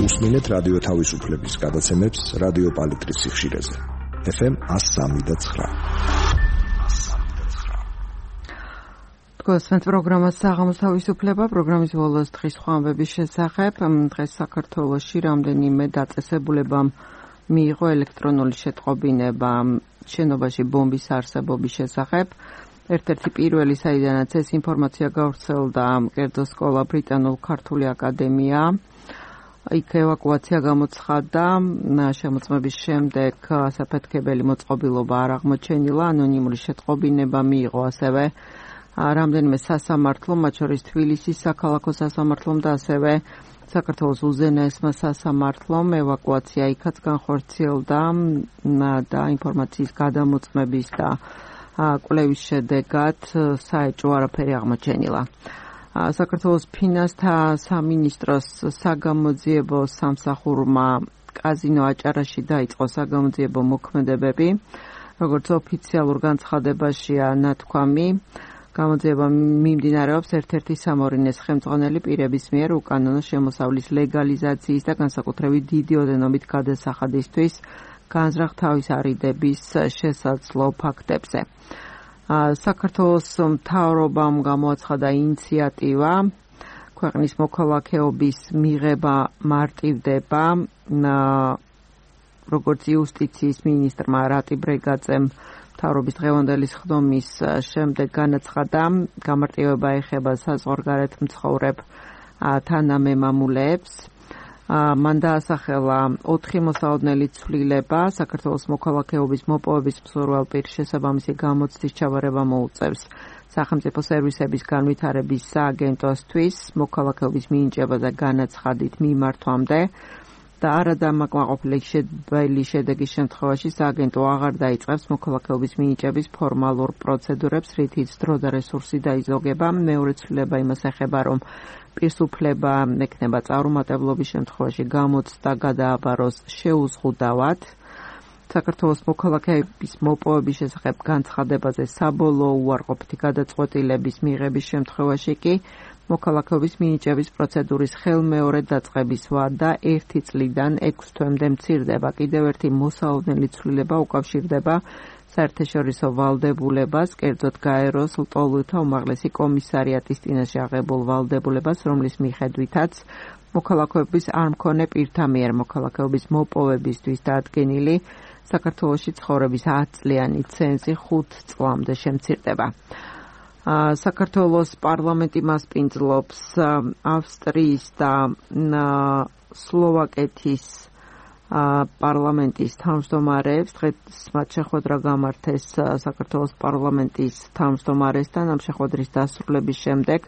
Speaker 11: უსმინეთ რადიო თავისუფლების გადაცემებს რადიო პალიტრის სიხშირეზე. FM 103.9.
Speaker 1: გასვენთ პროგრამას საღამოს თავისუფლება, პროგრამის ბოლოს დღის ხვამბების შესახებ. დღეს საქართველოში რამდენიმე დაწესებულებამ მიიღო ელექტრონული შეტყობინება შენობაში ბომბის არსებობის შესახებ. ერთ-ერთი პირველი, საიდანაც ეს ინფორმაცია გავრცელდა, კერძო სკოლა ბრიტანულ-ქართული აკადემია. იქ ევაკუაცია გამოცხადდა, შემოწმების შემდეგ საფეთქებელი მოწყობილობა არ აღმოჩენილა, ანონიმური შეტყობინება მიიღო ასევე რამდენიმე სასამართლომ, მათ შორის თბილისის საქალაქო სასამართლომ და ასევე საქართველოს უზენაესმა სასამართლომ. ევაკუაცია იქაც განხორციელდა და ინფორმაციის გადამოწმების და კვლევის შედეგად საეჭვო არაფერი აღმოჩენილა. საქართველოს ფინანსთა სამინისტროს საგამოძიებო სამსახურმა კაზინო აჭარაში დაიწყო საგამოძიებო მოქმედებები. როგორც ოფიციალურ განცხადებაშია ნათქვამი, გამოძიება მიმდინარეობს ერთ-ერთი სამორინეს ხელმძღვანელი პირების მიერ უკანონო შემოსავლის ლეგალიზაციის და განსაკუთრებით დიდი ოდენობით გადასახადისთვის განზრახ თავის არიდების შესაძლო ფაქტებზე. საქართველოს მთავრობამ გამოაცხადა ინიციატივა, ქვეყნის მოქალაქეობის მიღება მარტივდება, როგორც იუსტიციის მინისტრმა რატი ბრეგაძემ მთავრობის დღევანდელი სხდომის შემდეგ განაცხადა, გამარტივება ეხება საზღვარგარეთ მცხოვრებ თანამემამულეებს. მან დაასახელა 4 მოსალოდნელი ცვლილება, საქართველოს მოქალაქეობის მოპოვების მსურველ პირს შესაბამისი გამოცდის ჩაბარება მოუწევს სახელმწიფო სერვისების განვითარების სააგენტოსთვის მოქალაქეობის მინიჭება და განაცხადით მიმართვამდე და არადამაკმაყოფილი შედეგის შემთხვევაში სააგენტო აღარ დაიწყებს მოქალაქეობის მინიჭების ფორმალურ პროცედურებს, რითიც დრო და რესურსი დაიზოგება. მეორე ცვლილება იმას ეხება, რომ პირს უფლება ექნება წარუმატებლობის შემთხვევაში გამოცდა გადააბაროს შეუზღუდავად. საქართველოს მოქალაქეების მოპოვების შესახებ განცხადებაზე საბოლოო უარყოფითი გადაწყვეტილების მიღების შემთხვევაში კი მოქალაქეობის მინიჭების პროცედურის ხელმეორედ დაწყების ვადა 1 წლიდან 6 თვემდე მცირდება. კიდევ ერთი მოსალოდნელი ცვლილება უკავშირდება საერთაშორისო ვალდებულებას, კერძოდ გაეროს ლტოლვილთა უმაღლესი კომისარიატის წინაშე აღებულ ვალდებულებას, რომლის მიხედვითაც მოქალაქეობის არ მქონე პირთა მიერ მოქალაქეობის მოპოვებისთვის დადგენილი საქართველოში ცხოვრების 10 წლიანი ცენზი 5 წლამდე შემცირდება. საქართველოს პარლამენტი მასპინძლობს ავსტრიის და სლოვაკეთის პარლამენტის თავმჯდომარეებს. დღეს მათ შეხვედრა გამართეს საქართველოს პარლამენტის თავმჯდომარესთან. ამ შეხვედრის დასრულების შემდეგ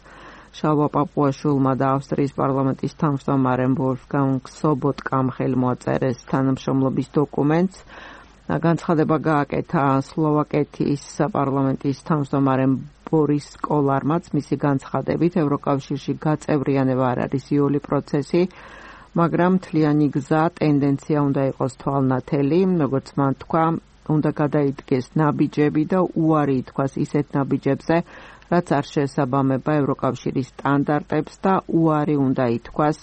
Speaker 1: შალვა პაპუაშვილმა და ავსტრიის პარლამენტის თავმჯდომარემ ვოლფგანგ სობოტკამ ხელმოაწერეს თანამშრომლობის დოკუმენტს. განცხადება გააკეთა სლოვაკეთის პარლამენტის თავმჯდომარემ ბორის კოლარმაც. მისი განცხადებით ევროკავშირში გაწევრიანება არ არის იოლი პროცესი, მაგრამ მთლიანი გზა ტენდენცია უნდა იყოს თვალნათელი, როგორც მან თქვა, უნდა გადაიდგეს ნაბიჯები და უარი ითქვას ისეთ ნაბიჯებზე, რაც არ შეესაბამება ევროკავშირის სტანდარტებს და უარი უნდა ითქვას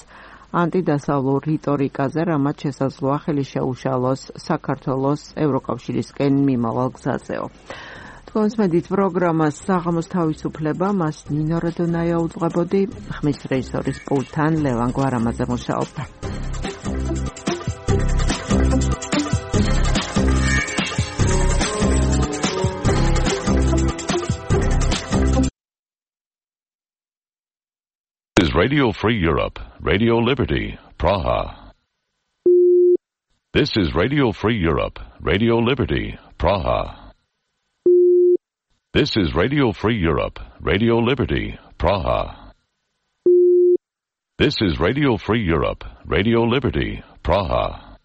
Speaker 1: ანტიდასავლურ რიტორიკაზე, რამაც შესაძლოა ხელი შეუშალოს საქართველოს ევროკავშირისკენ მიმავალ გზაზეო. თქვენს მედით პროგრამას საღამოს თავისუფლება, მას ნინო როდონაია უძღვებოდი, ხმის რეჟისორის პულტთან ლევან გვარამაძე მუშაობდა.
Speaker 20: Radio Free Europe, Radio Liberty, Praha. This is Radio Free Europe, Radio Liberty, Praha. This is Radio Free Europe, Radio Liberty, Praha. This is Radio Free Europe, Radio Liberty, Praha.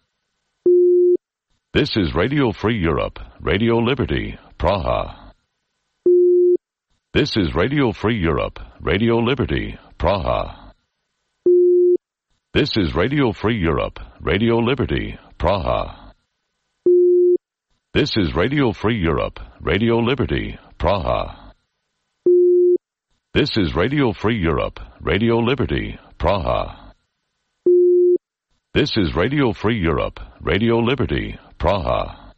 Speaker 20: This is Radio Free Europe, Radio Liberty, Praha. This is Radio Free Europe, Radio Liberty, Praha. This is Radio Free Europe, Radio Liberty, Praha. This is Radio Free Europe, Radio Liberty, Praha. This is Radio Free Europe, Radio Liberty, Praha. This is Radio Free Europe, Radio Liberty, Praha.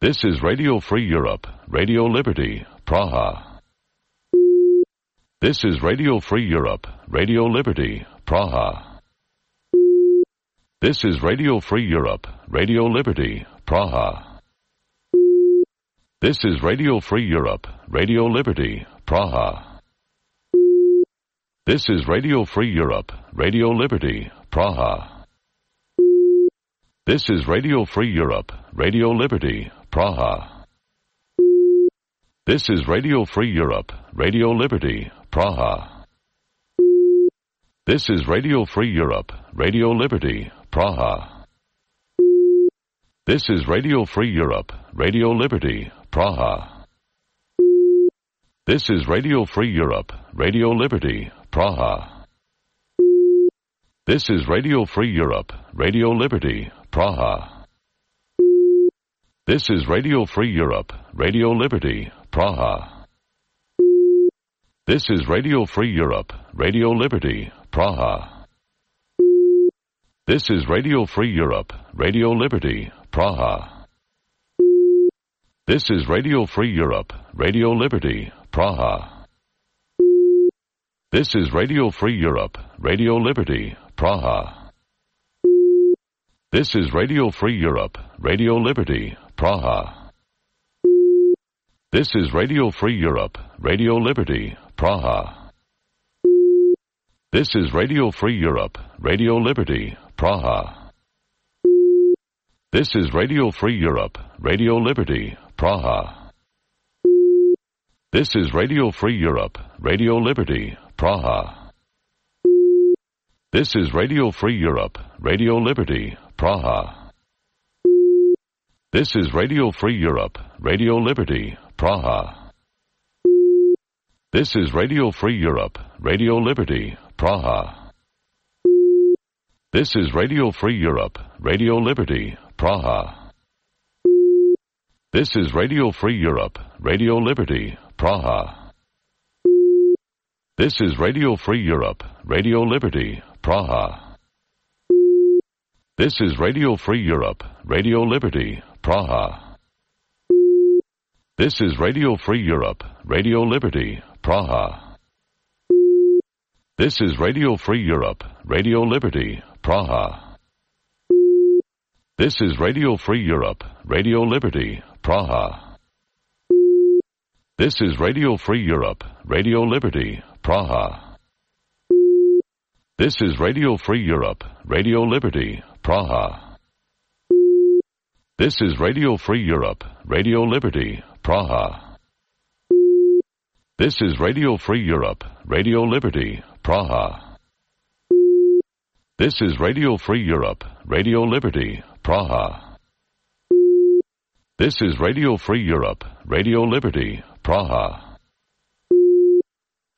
Speaker 20: This is Radio Free Europe, Radio Liberty, Praha. This is Radio Free Europe, Radio Liberty, Praha. This is Radio Free Europe, Radio Liberty, Praha. This is Radio Free Europe, Radio Liberty, Praha. This is Radio Free Europe, Radio Liberty, Praha. This is Radio Free Europe, Radio Liberty, Praha. This is Radio Free Europe, Radio Liberty, Praha. This is Radio Free Europe, Radio Liberty, Praha. This is Radio Free Europe, Radio Liberty, Praha. This is Radio Free Europe, Radio Liberty, Praha. This is Radio Free Europe, Radio Liberty, Praha. This is Radio Free Europe, Radio Liberty, Praha. This is Radio Free Europe, Radio Liberty, Praha. This is Radio Free Europe, Radio Liberty, Praha. This is Radio Free Europe, Radio Liberty, Praha. This is Radio Free Europe, Radio Liberty, Praha. This is Radio Free Europe, Radio Liberty, Praha. This is Radio Free Europe, Radio Liberty, Praha. This is Radio Free Europe, Radio Liberty, Praha. This is Radio Free Europe, Radio Liberty, Praha. This is Radio Free Europe, Radio Liberty, Praha. This is Radio Free Europe, Radio Liberty, Praha. This is Radio Free Europe, Radio Liberty, Praha. This is Radio Free Europe, Radio Liberty, Praha. This is Radio Free Europe, Radio Liberty, Praha. This is Radio Free Europe, Radio Liberty, Praha. This is Radio Free Europe, Radio Liberty, Praha. This is Radio Free Europe, Radio Liberty, Praha. This is Radio Free Europe, Radio Liberty, Praha. This is Radio Free Europe, Radio Liberty, Praha. This is Radio Free Europe, Radio Liberty, Praha. This is Radio Free Europe, Radio Liberty, Praha. This is Radio Free Europe, Radio Liberty, Praha. This is Radio Free Europe, Radio Liberty, Praha. This is Radio Free Europe, Radio Liberty, Praha. This is Radio Free Europe, Radio Liberty, Praha. This is Radio Free Europe, Radio Liberty, Praha.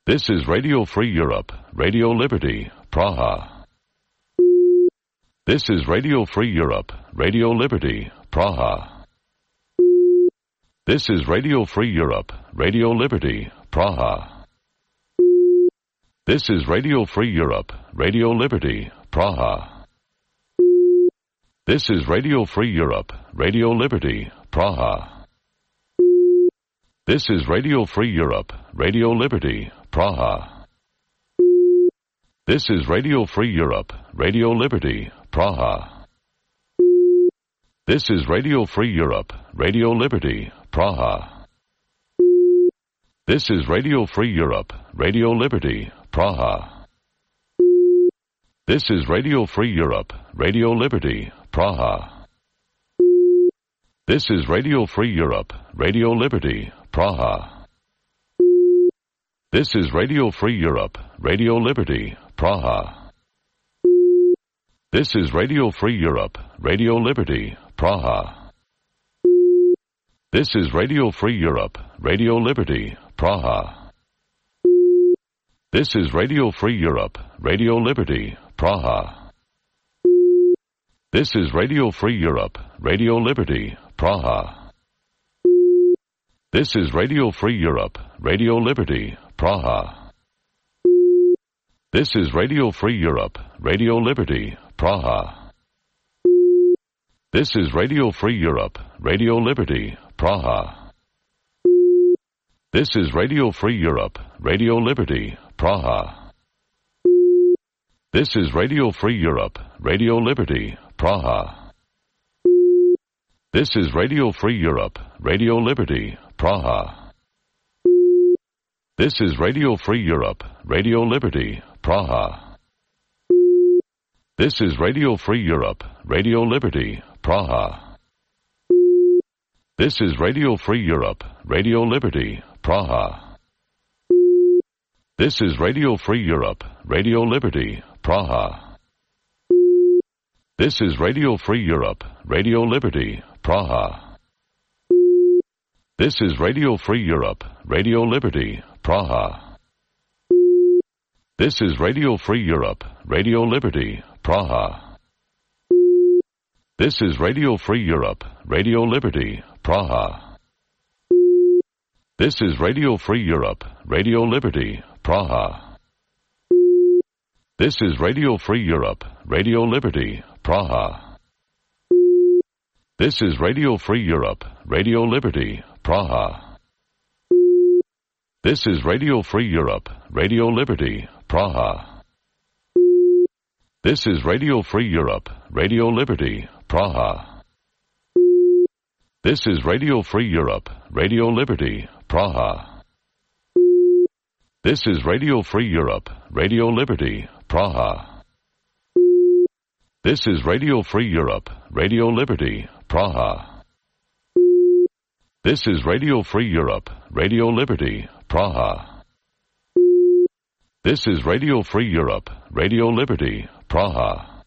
Speaker 20: This is Radio Free Europe, Radio Liberty, Praha. This is Radio Free Europe, Radio Liberty, Praha. This is Radio Free Europe, Radio Liberty, Praha. This is Radio Free Europe, Radio Liberty, Praha. This is Radio Free Europe, Radio Liberty, Praha. This is Radio Free Europe, Radio Liberty, Praha. This is Radio Free Europe, Radio Liberty, Praha. This is Radio Free Europe, Radio Liberty, Praha. This is Radio Free Europe, Radio Liberty, Praha. This is Radio Free Europe, Radio Liberty, Praha. This is Radio Free Europe, Radio Liberty, Praha. This is Radio Free Europe, Radio Liberty, Praha. This is Radio Free Europe, Radio Liberty, Praha. This is Radio Free Europe, Radio Liberty, Praha. This is Radio Free Europe, Radio Liberty, Praha. This is Radio Free Europe, Radio Liberty, Praha. This is Radio Free Europe, Radio Liberty, Praha. This is Radio Free Europe, Radio Liberty, Praha. This is Radio Free Europe, Radio Liberty, Praha. This is Radio Free Europe, Radio Liberty, Praha. This is Radio Free Europe, Radio Liberty, Praha. This is Radio Free Europe, Radio Liberty, Praha. This is Radio Free Europe, Radio Liberty, Praha. This is Radio Free Europe, Radio Liberty, Praha. This is Radio Free Europe, Radio Liberty, Praha. This is Radio Free Europe, Radio Liberty, Praha. This is Radio Free Europe, Radio Liberty, Praha. This is Radio Free Europe, Radio Liberty, Praha. This is Radio Free Europe, Radio Liberty, Praha. This is Radio Free Europe, Radio Liberty, Praha. This is Radio Free Europe, Radio Liberty, Praha. This is Radio Free Europe, Radio Liberty, Praha. This is Radio Free Europe, Radio Liberty, Praha. This is Radio Free Europe, Radio Liberty, Praha. This is Radio Free Europe, Radio Liberty, Praha. This is Radio Free Europe, Radio Liberty, Praha. This is Radio Free Europe, Radio Liberty, Praha. This is Radio Free Europe, Radio Liberty, Praha. This is Radio Free Europe, Radio Liberty, Praha. This is Radio Free Europe, Radio Liberty, Praha.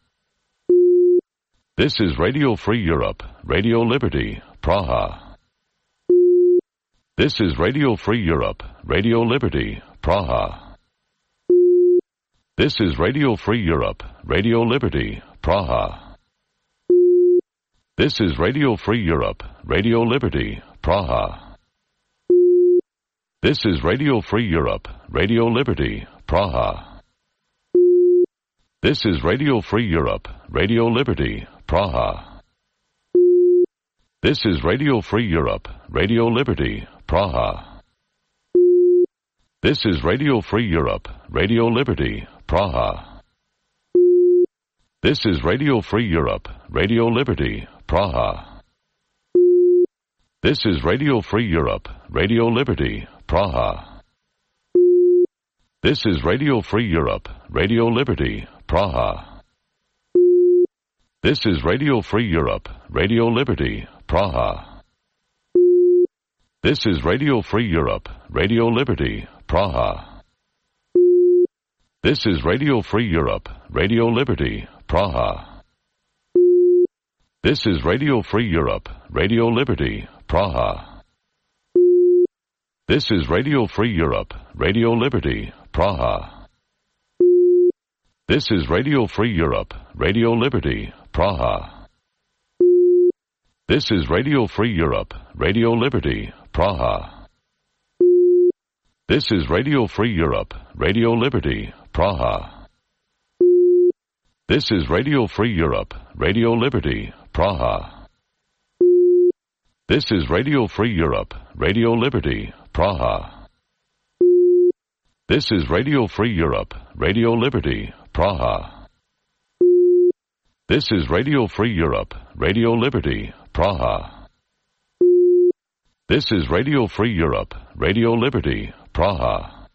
Speaker 20: This is Radio Free Europe, Radio Liberty, Praha. This is Radio Free Europe, Radio Liberty, Praha. This is Radio Free Europe, Radio Liberty, Praha. This is Radio Free Europe, Radio Liberty, Praha. This is Radio Free Europe, Radio Liberty, Praha. This is Radio Free Europe, Radio Liberty, Praha. This is Radio Free Europe, Radio Liberty, Praha. This is Radio Free Europe, Radio Liberty, Praha. This is Radio Free Europe, Radio Liberty, Praha. This is Radio Free Europe, Radio Liberty, Praha. This is Radio Free Europe, Radio Liberty, Praha. This is Radio Free Europe, Radio Liberty, Praha. This is Radio Free Europe, Radio Liberty, Praha. This is Radio Free Europe, Radio Liberty, Praha. This is Radio Free Europe, Radio Liberty, Praha. This is Radio Free Europe, Radio Liberty, Praha. This is Radio Free Europe, Radio Liberty, Praha. This is Radio Free Europe, Radio Liberty, Praha. This is Radio Free Europe, Radio Liberty, Praha. This is Radio Free Europe, Radio Liberty, Praha. This is Radio Free Europe, Radio Liberty, Praha. This is Radio Free Europe, Radio Liberty, Praha. This is Radio Free Europe, Radio Liberty, Praha. This is Radio Free Europe, Radio Liberty, Praha.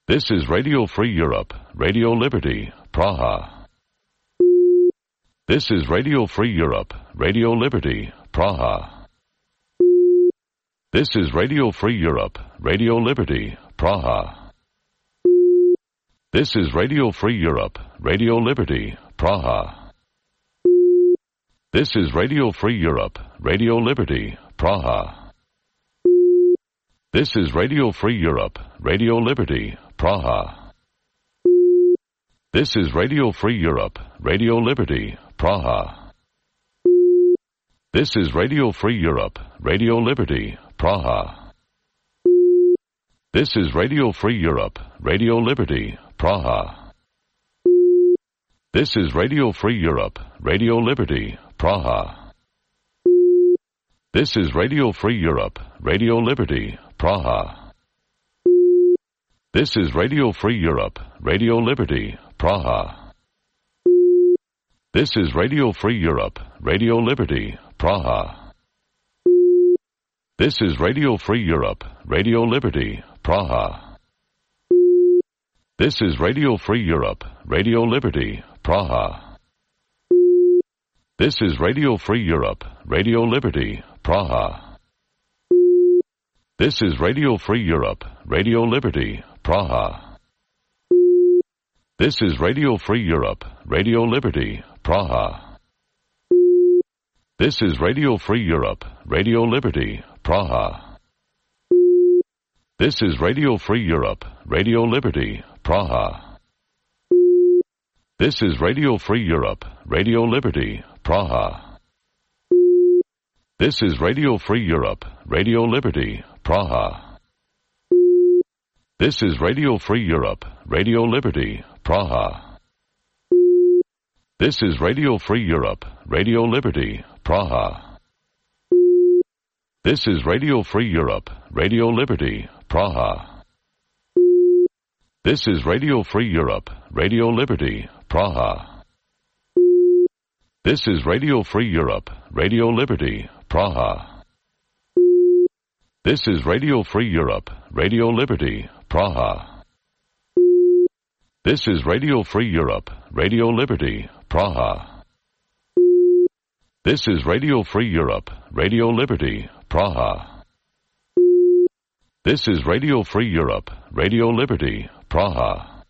Speaker 20: This is Radio Free Europe, Radio Liberty, Praha. This is Radio Free Europe, Radio Liberty, Praha. This is Radio Free Europe, Radio Liberty, Praha. This is Radio Free Europe, Radio Liberty, Praha. This is Radio Free Europe, Radio Liberty, Praha. This is Radio Free Europe, Radio Liberty, Praha. This is Radio Free Europe, Radio Liberty, Praha. This is Radio Free Europe, Radio Liberty, Praha. This is Radio Free Europe, Radio Liberty, Praha. This is Radio Free Europe, Radio Liberty, Praha. This is Radio Free Europe, Radio Liberty, Praha. This is Radio Free Europe, Radio Liberty, Praha. This is Radio Free Europe, Radio Liberty, Praha. This is Radio Free Europe, Radio Liberty, Praha. This is Radio Free Europe, Radio Liberty, Praha. This is Radio Free Europe, Radio Liberty, Praha. This is Radio Free Europe, Radio Liberty, Praha. This is Radio Free Europe, Radio Liberty, Praha. This is Radio Free Europe, Radio Liberty, Praha. This is Radio Free Europe, Radio Liberty, Praha. This is Radio Free Europe, Radio Liberty, Praha. This is Radio Free Europe, Radio Liberty, Praha. This is Radio Free Europe, Radio Liberty, Praha. This is Radio Free Europe, Radio Liberty, Praha. This is Radio Free Europe, Radio Liberty, Praha. This is Radio Free Europe, Radio Liberty, Praha. This is Radio Free Europe, Radio Liberty, Praha. This is Radio Free Europe, Radio Liberty, Praha. This is Radio Free Europe, Radio Liberty, Praha. This is Radio Free Europe, Radio Liberty, Praha. This is Radio Free Europe, Radio Liberty, Praha.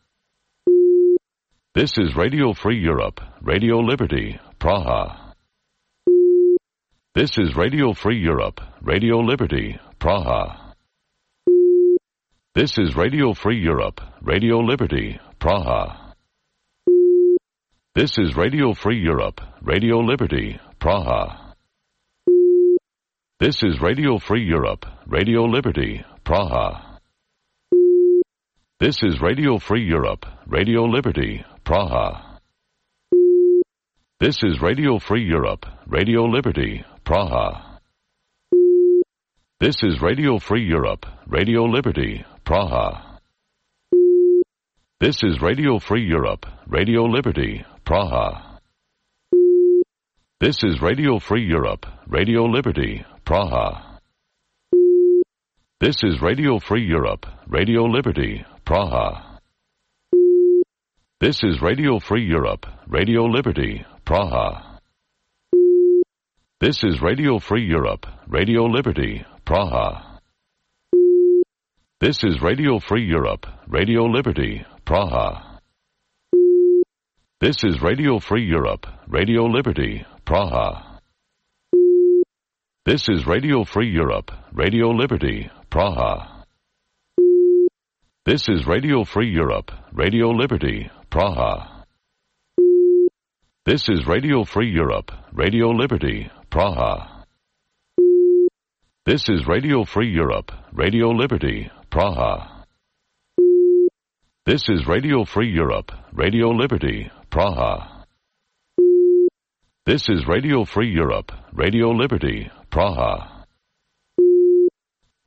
Speaker 20: This is Radio Free Europe, Radio Liberty, Praha. This is Radio Free Europe, Radio Liberty, Praha. This is Radio Free Europe, Radio Liberty, Praha. This is Radio Free Europe, Radio Liberty, Praha. This is Radio Free Europe, Radio Liberty, Praha. This is Radio Free Europe, Radio Liberty, Praha. This is Radio Free Europe, Radio Liberty, Praha. This is Radio Free Europe, Radio Liberty, Praha. This is Radio Free Europe, Radio Liberty, Praha. This is Radio Free Europe, Radio Liberty, Praha. This is Radio Free Europe, Radio Liberty, Praha. This is Radio Free Europe, Radio Liberty, Praha. This is Radio Free Europe, Radio Liberty, Praha. This is Radio Free Europe, Radio Liberty, Praha. This is Radio Free Europe, Radio Liberty, Praha. This is Radio Free Europe, Radio Liberty, Praha. This is Radio Free Europe, Radio Liberty, Praha. This is Radio Free Europe, Radio Liberty, Praha. This is Radio Free Europe, Radio Liberty, Praha. This is Radio Free Europe, Radio Liberty, Praha. This is Radio Free Europe, Radio Liberty, Praha.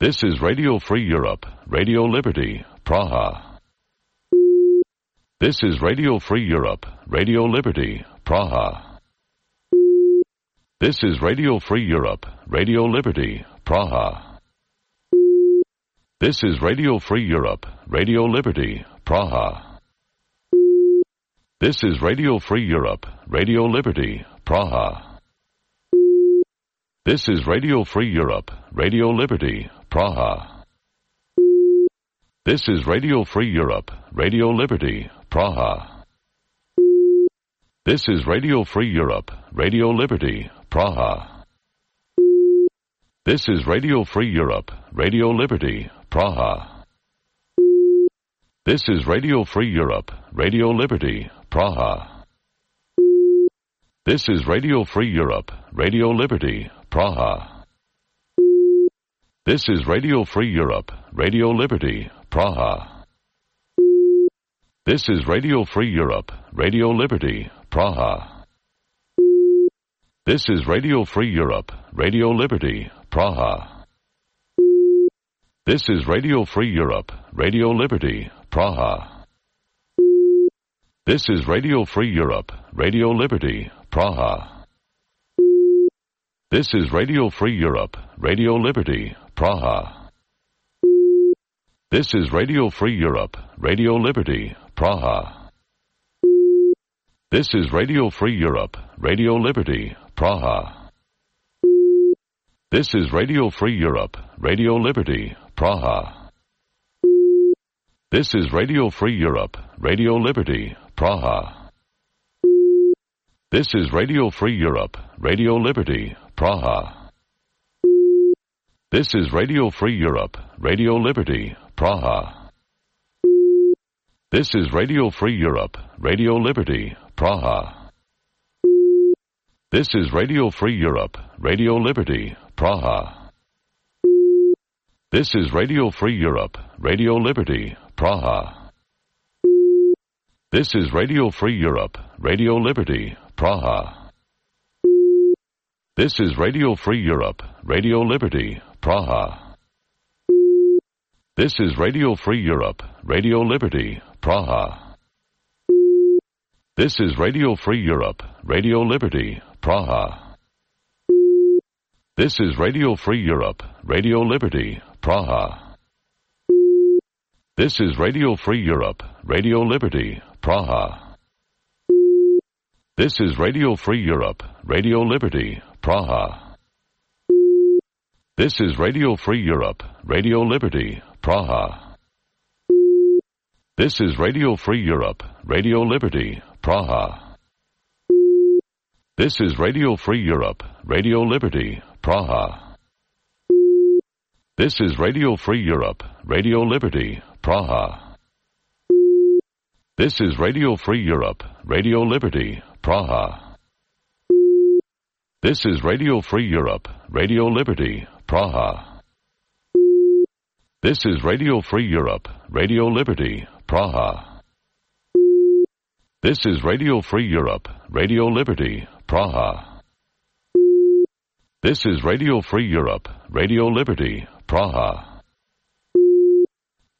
Speaker 20: This is Radio Free Europe, Radio Liberty, Praha. This is Radio Free Europe, Radio Liberty, Praha. This is Radio Free Europe, Radio Liberty, Praha. This is Radio Free Europe, Radio Liberty, Praha. This is Radio Free Europe, Radio Liberty, Praha. This is Radio Free Europe, Radio Liberty, Praha. This is Radio Free Europe, Radio Liberty, Praha. This is Radio Free Europe, Radio Liberty, Praha. This is Radio Free Europe, Radio Liberty, Praha. This is Radio Free Europe, Radio Liberty, Praha. This is Radio Free Europe, Radio Liberty, Praha. This is Radio Free Europe, Radio Liberty, Praha. This is Radio Free Europe, Radio Liberty, Praha. This is Radio Free Europe, Radio Liberty, Praha. This is Radio Free Europe, Radio Liberty, Praha. This is Radio Free Europe, Radio Liberty, Praha. This is Radio Free Europe, Radio Liberty, Praha. This is Radio Free Europe, Radio Liberty, Praha. This is Radio Free Europe, Radio Liberty, Praha. This is Radio Free Europe, Radio Liberty, Praha. This is Radio Free Europe, Radio Liberty, Praha. This is Radio Free Europe, Radio Liberty, Praha. This is Radio Free Europe, Radio Liberty, Praha. This is Radio Free Europe, Radio Liberty, Praha. This is Radio Free Europe, Radio Liberty, Praha. This is Radio Free Europe, Radio Liberty, Praha. This is Radio Free Europe, Radio Liberty, Praha. This is Radio Free Europe, Radio Liberty, Praha. This is Radio Free Europe, Radio Liberty, Praha. This is Radio Free Europe, Radio Liberty, Praha. This is Radio Free Europe, Radio Liberty, Praha. This is Radio Free Europe, Radio Liberty, Praha. This is Radio Free Europe, Radio Liberty, Praha. This is Radio Free Europe, Radio Liberty, Praha. This is Radio Free Europe, Radio Liberty, Praha. This is Radio Free Europe, Radio Liberty, Praha. This is Radio Free Europe, Radio Liberty, Praha. This is Radio Free Europe, Radio Liberty, Praha. This is Radio Free Europe, Radio Liberty, Praha. This is Radio Free Europe, Radio Liberty, Praha. This is Radio Free Europe, Radio Liberty, Praha. This is Radio Free Europe, Radio Liberty, Praha.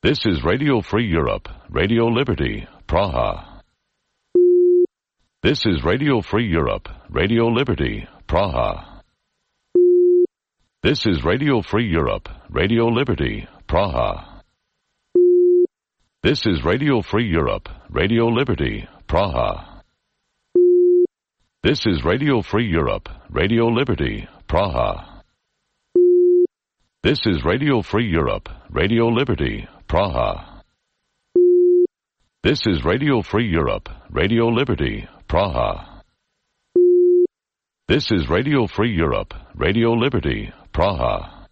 Speaker 20: This is Radio Free Europe, Radio Liberty, Praha. This is Radio Free Europe, Radio Liberty, Praha. This is Radio Free Europe, Radio Liberty, Praha. This is Radio Free Europe, Radio Liberty, Praha. This is Radio Free Europe, Radio Liberty, Praha. This is Radio Free Europe, Radio Liberty, Praha. This is Radio Free Europe, Radio Liberty, Praha. This is Radio Free Europe, Radio Liberty, Praha.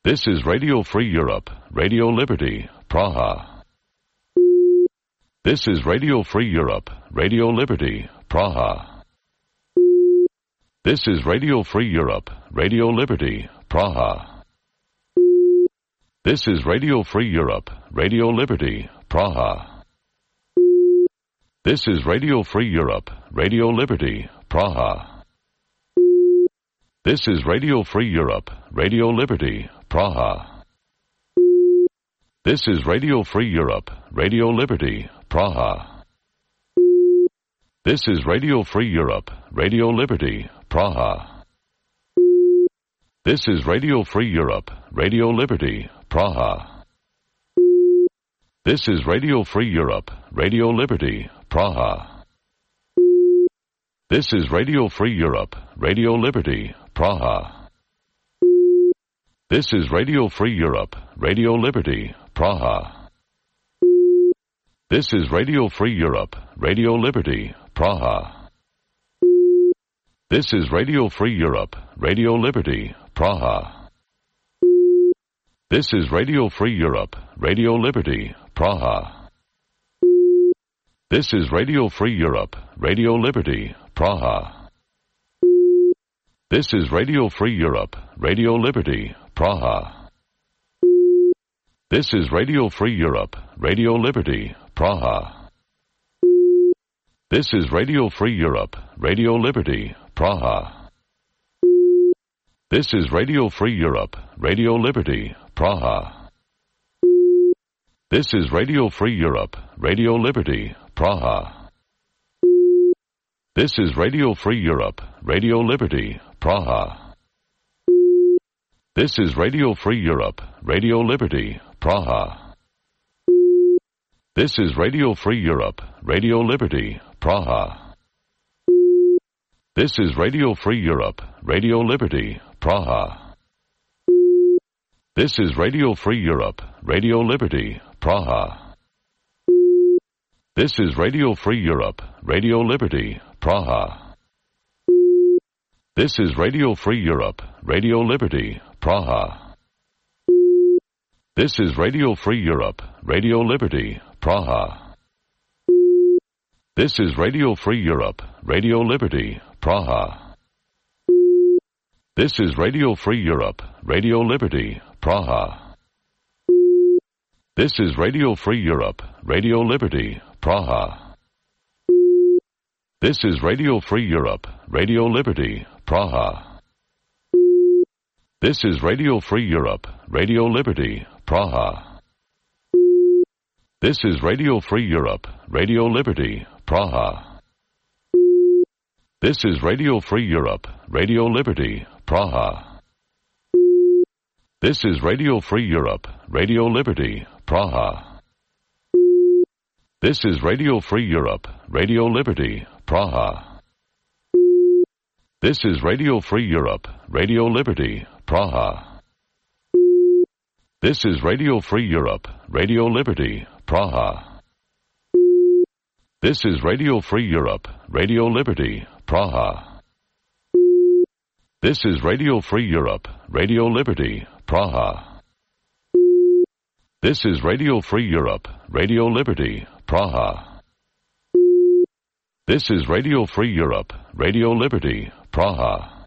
Speaker 20: This is Radio Free Europe, Radio Liberty, Praha. This is Radio Free Europe, Radio Liberty, Praha. This is Radio Free Europe, Radio Liberty, Praha. This is Radio Free Europe, Radio Liberty, Praha. This is Radio Free Europe, Radio Liberty, Praha. This is Radio Free Europe, Radio Liberty, Praha. This is Radio Free Europe, Radio Liberty, Praha. This is Radio Free Europe, Radio Liberty, Praha. This is Radio Free Europe, Radio Liberty, Praha. This is Radio Free Europe, Radio Liberty, Praha. This is Radio Free Europe, Radio Liberty, Praha. This is Radio Free Europe, Radio Liberty, Praha. This is Radio Free Europe, Radio Liberty, Praha. This is Radio Free Europe, Radio Liberty, Praha. This is Radio Free Europe, Radio Liberty, Praha. This is Radio Free Europe, Radio Liberty, Praha. This is Radio Free Europe, Radio Liberty, Praha. This is Radio Free Europe, Radio Liberty, Praha. This is Radio Free Europe, Radio Liberty, Praha. This is Radio Free Europe, Radio Liberty, Praha. This is Radio Free Europe, Radio Liberty, Praha. This is Radio Free Europe, Radio Liberty, Praha. This is Radio Free Europe, Radio Liberty, Praha. This is Radio Free Europe, Radio Liberty, Praha. This is Radio Free Europe, Radio Liberty, Praha. This is Radio Free Europe, Radio Liberty, Praha. This is Radio Free Europe, Radio Liberty, Praha. This is Radio Free Europe, Radio Liberty, Praha. This is Radio Free Europe, Radio Liberty, Praha. This is Radio Free Europe, Radio Liberty, Praha. This is Radio Free Europe, Radio Liberty, Praha. This is Radio Free Europe, Radio Liberty, Praha. This is Radio Free Europe, Radio Liberty, Praha. This is Radio Free Europe, Radio Liberty, Praha. This is Radio Free Europe, Radio Liberty, Praha. This is Radio Free Europe, Radio Liberty, Praha. This is Radio Free Europe, Radio Liberty, Praha. This is Radio Free Europe, Radio Liberty, Praha. This is Radio Free Europe, Radio Liberty, Praha. This is Radio Free Europe, Radio Liberty, Praha. This is Radio Free Europe, Radio Liberty, Praha. This is Radio Free Europe, Radio Liberty, Praha. This is Radio Free Europe, Radio Liberty, Praha. This is Radio Free Europe, Radio Liberty, Praha.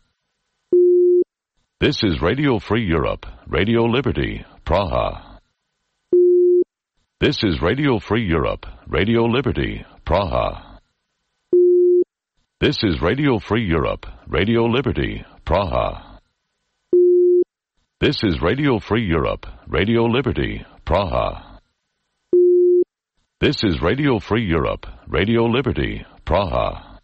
Speaker 20: This is Radio Free Europe, Radio Liberty, Praha. This is Radio Free Europe, Radio Liberty, Praha. This is Radio Free Europe, Radio Liberty, Praha. This is Radio Free Europe, Radio Liberty, Praha. This is Radio Free Europe, Radio Liberty, Praha.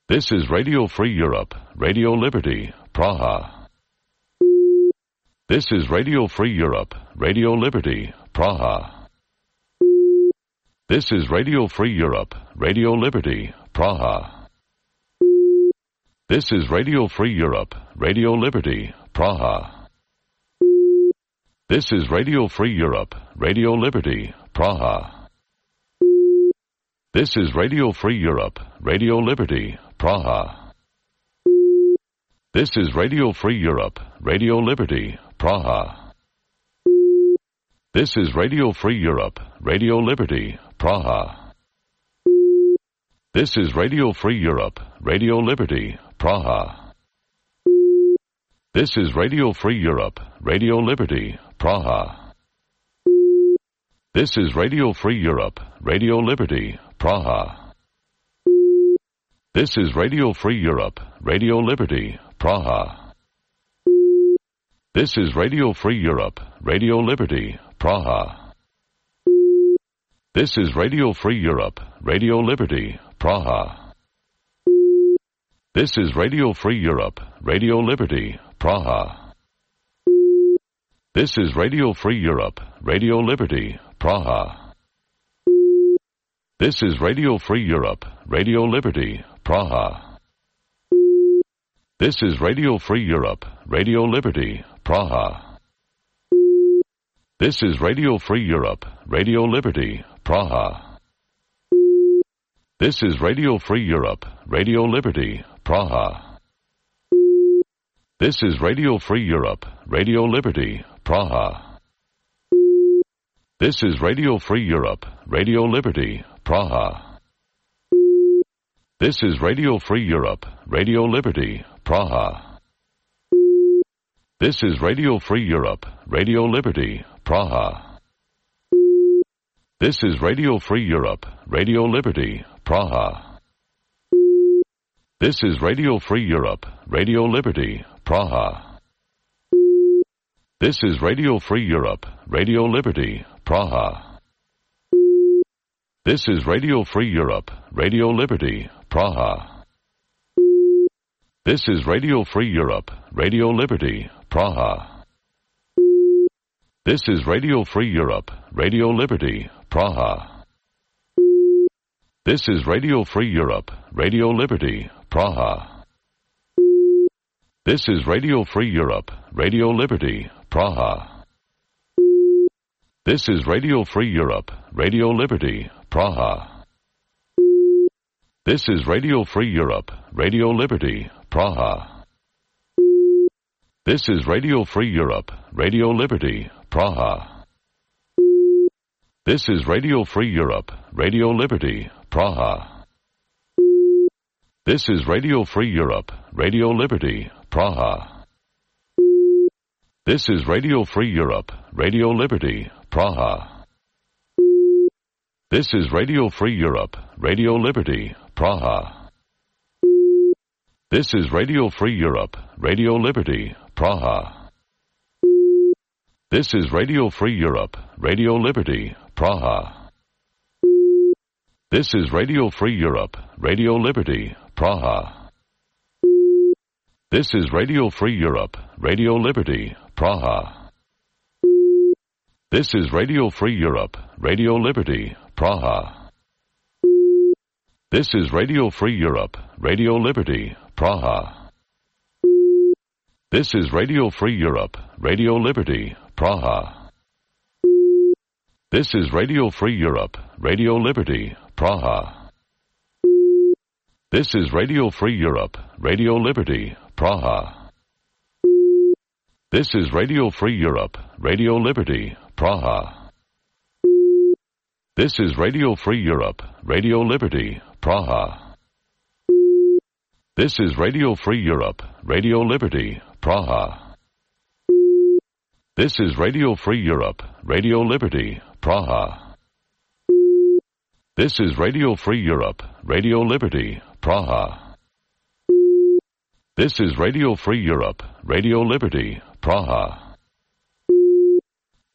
Speaker 20: This is Radio Free Europe, Radio Liberty, Praha. This is Radio Free Europe, Radio Liberty, Praha. This is Radio Free Europe, Radio Liberty, Praha. This is Radio Free Europe, Radio Liberty, Praha. This is Radio Free Europe, Radio Liberty, Praha. This is Radio Free Europe, Radio Liberty, Praha. This is Radio Free Europe, Radio Liberty, Praha. This is Radio Free Europe, Radio Liberty, Praha. This is Radio Free Europe, Radio Liberty, Praha. This is Radio Free Europe, Radio Liberty, Praha. This is Radio Free Europe, Radio Liberty, Praha. This is Radio Free Europe, Radio Liberty, Praha. This is Radio Free Europe, Radio Liberty, Praha. This is Radio Free Europe, Radio Liberty, Praha. This is Radio Free Europe, Radio Liberty, Praha. This is Radio Free Europe, Radio Liberty, Praha. This is Radio Free Europe, Radio Liberty, Praha. This is Radio Free Europe, Radio Liberty, Praha. This is Radio Free Europe, Radio Liberty, Praha. This is Radio Free Europe, Radio Liberty, Praha. This is Radio Free Europe, Radio Liberty, Praha. This is Radio Free Europe, Radio Liberty, Praha. This is Radio Free Europe, Radio Liberty, Praha. This is Radio Free Europe, Radio Liberty, Praha. This is Radio Free Europe, Radio Liberty, Praha. This is Radio Free Europe, Radio Liberty, Praha. This is Radio Free Europe, Radio Liberty, Praha. This is Radio Free Europe, Radio Liberty, Praha. This is Radio Free Europe, Radio Liberty, Praha. This is Radio Free Europe, Radio Liberty, Praha. This is Radio Free Europe, Radio Liberty, Praha. This is Radio Free Europe, Radio Liberty, Praha. This is Radio Free Europe, Radio Liberty, Praha. This is Radio Free Europe, Radio Liberty, Praha. This is Radio Free Europe, Radio Liberty, Praha. This is Radio Free Europe, Radio Liberty, Praha. This is Radio Free Europe, Radio Liberty, Praha. This is Radio Free Europe, Radio Liberty, Praha. This is Radio Free Europe, Radio Liberty, Praha. This is Radio Free Europe, Radio Liberty, Praha. This is Radio Free Europe, Radio Liberty, Praha. This is Radio Free Europe, Radio Liberty, Praha. This is Radio Free Europe, Radio Liberty, Praha. This is Radio Free Europe, Radio Liberty, Praha. This is Radio Free Europe, Radio Liberty, Praha. This is Radio Free Europe, Radio Liberty, Praha. This is Radio Free Europe, Radio Liberty, Praha. This is Radio Free Europe, Radio Liberty, Praha. This is Radio Free Europe, Radio Liberty, Praha. This is Radio Free Europe, Radio Liberty, Praha. This is Radio Free Europe, Radio Liberty, Praha. This is Radio Free Europe, Radio Liberty, Praha. This is Radio Free Europe, Radio Liberty, Praha. This is Radio Free Europe, Radio Liberty, Praha.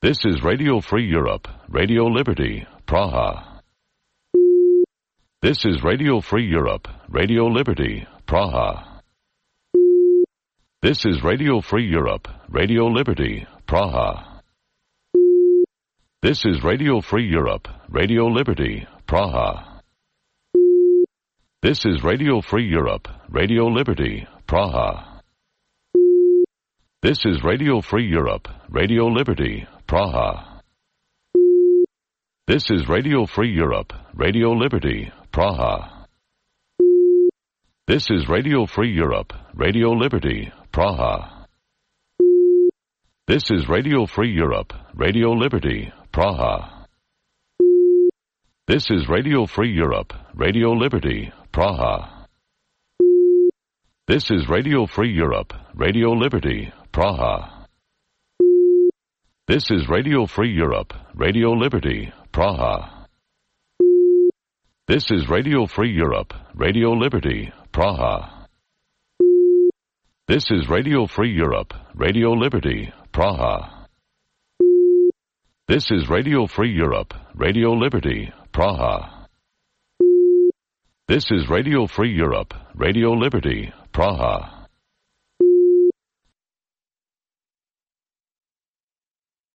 Speaker 20: This is Radio Free Europe, Radio Liberty, Praha. This is Radio Free Europe, Radio Liberty, Praha. This is Radio Free Europe, Radio Liberty, Praha. This is Radio Free Europe, Radio Liberty, Praha. This is Radio Free Europe, Radio Liberty, Praha. This is Radio Free Europe, Radio Liberty, Praha. This is Radio Free Europe, Radio Liberty, Praha. This is Radio Free Europe, Radio Liberty, Praha. This is Radio Free Europe, Radio Liberty, Praha. This is Radio Free Europe, Radio Liberty, Praha. This is Radio Free Europe, Radio Liberty, Praha. This is Radio Free Europe, Radio Liberty, Praha. This is Radio Free Europe, Radio Liberty, Praha. This is Radio Free Europe, Radio Liberty, Praha. This is Radio Free Europe, Radio Liberty, Praha. This is Radio Free Europe, Radio Liberty, Praha.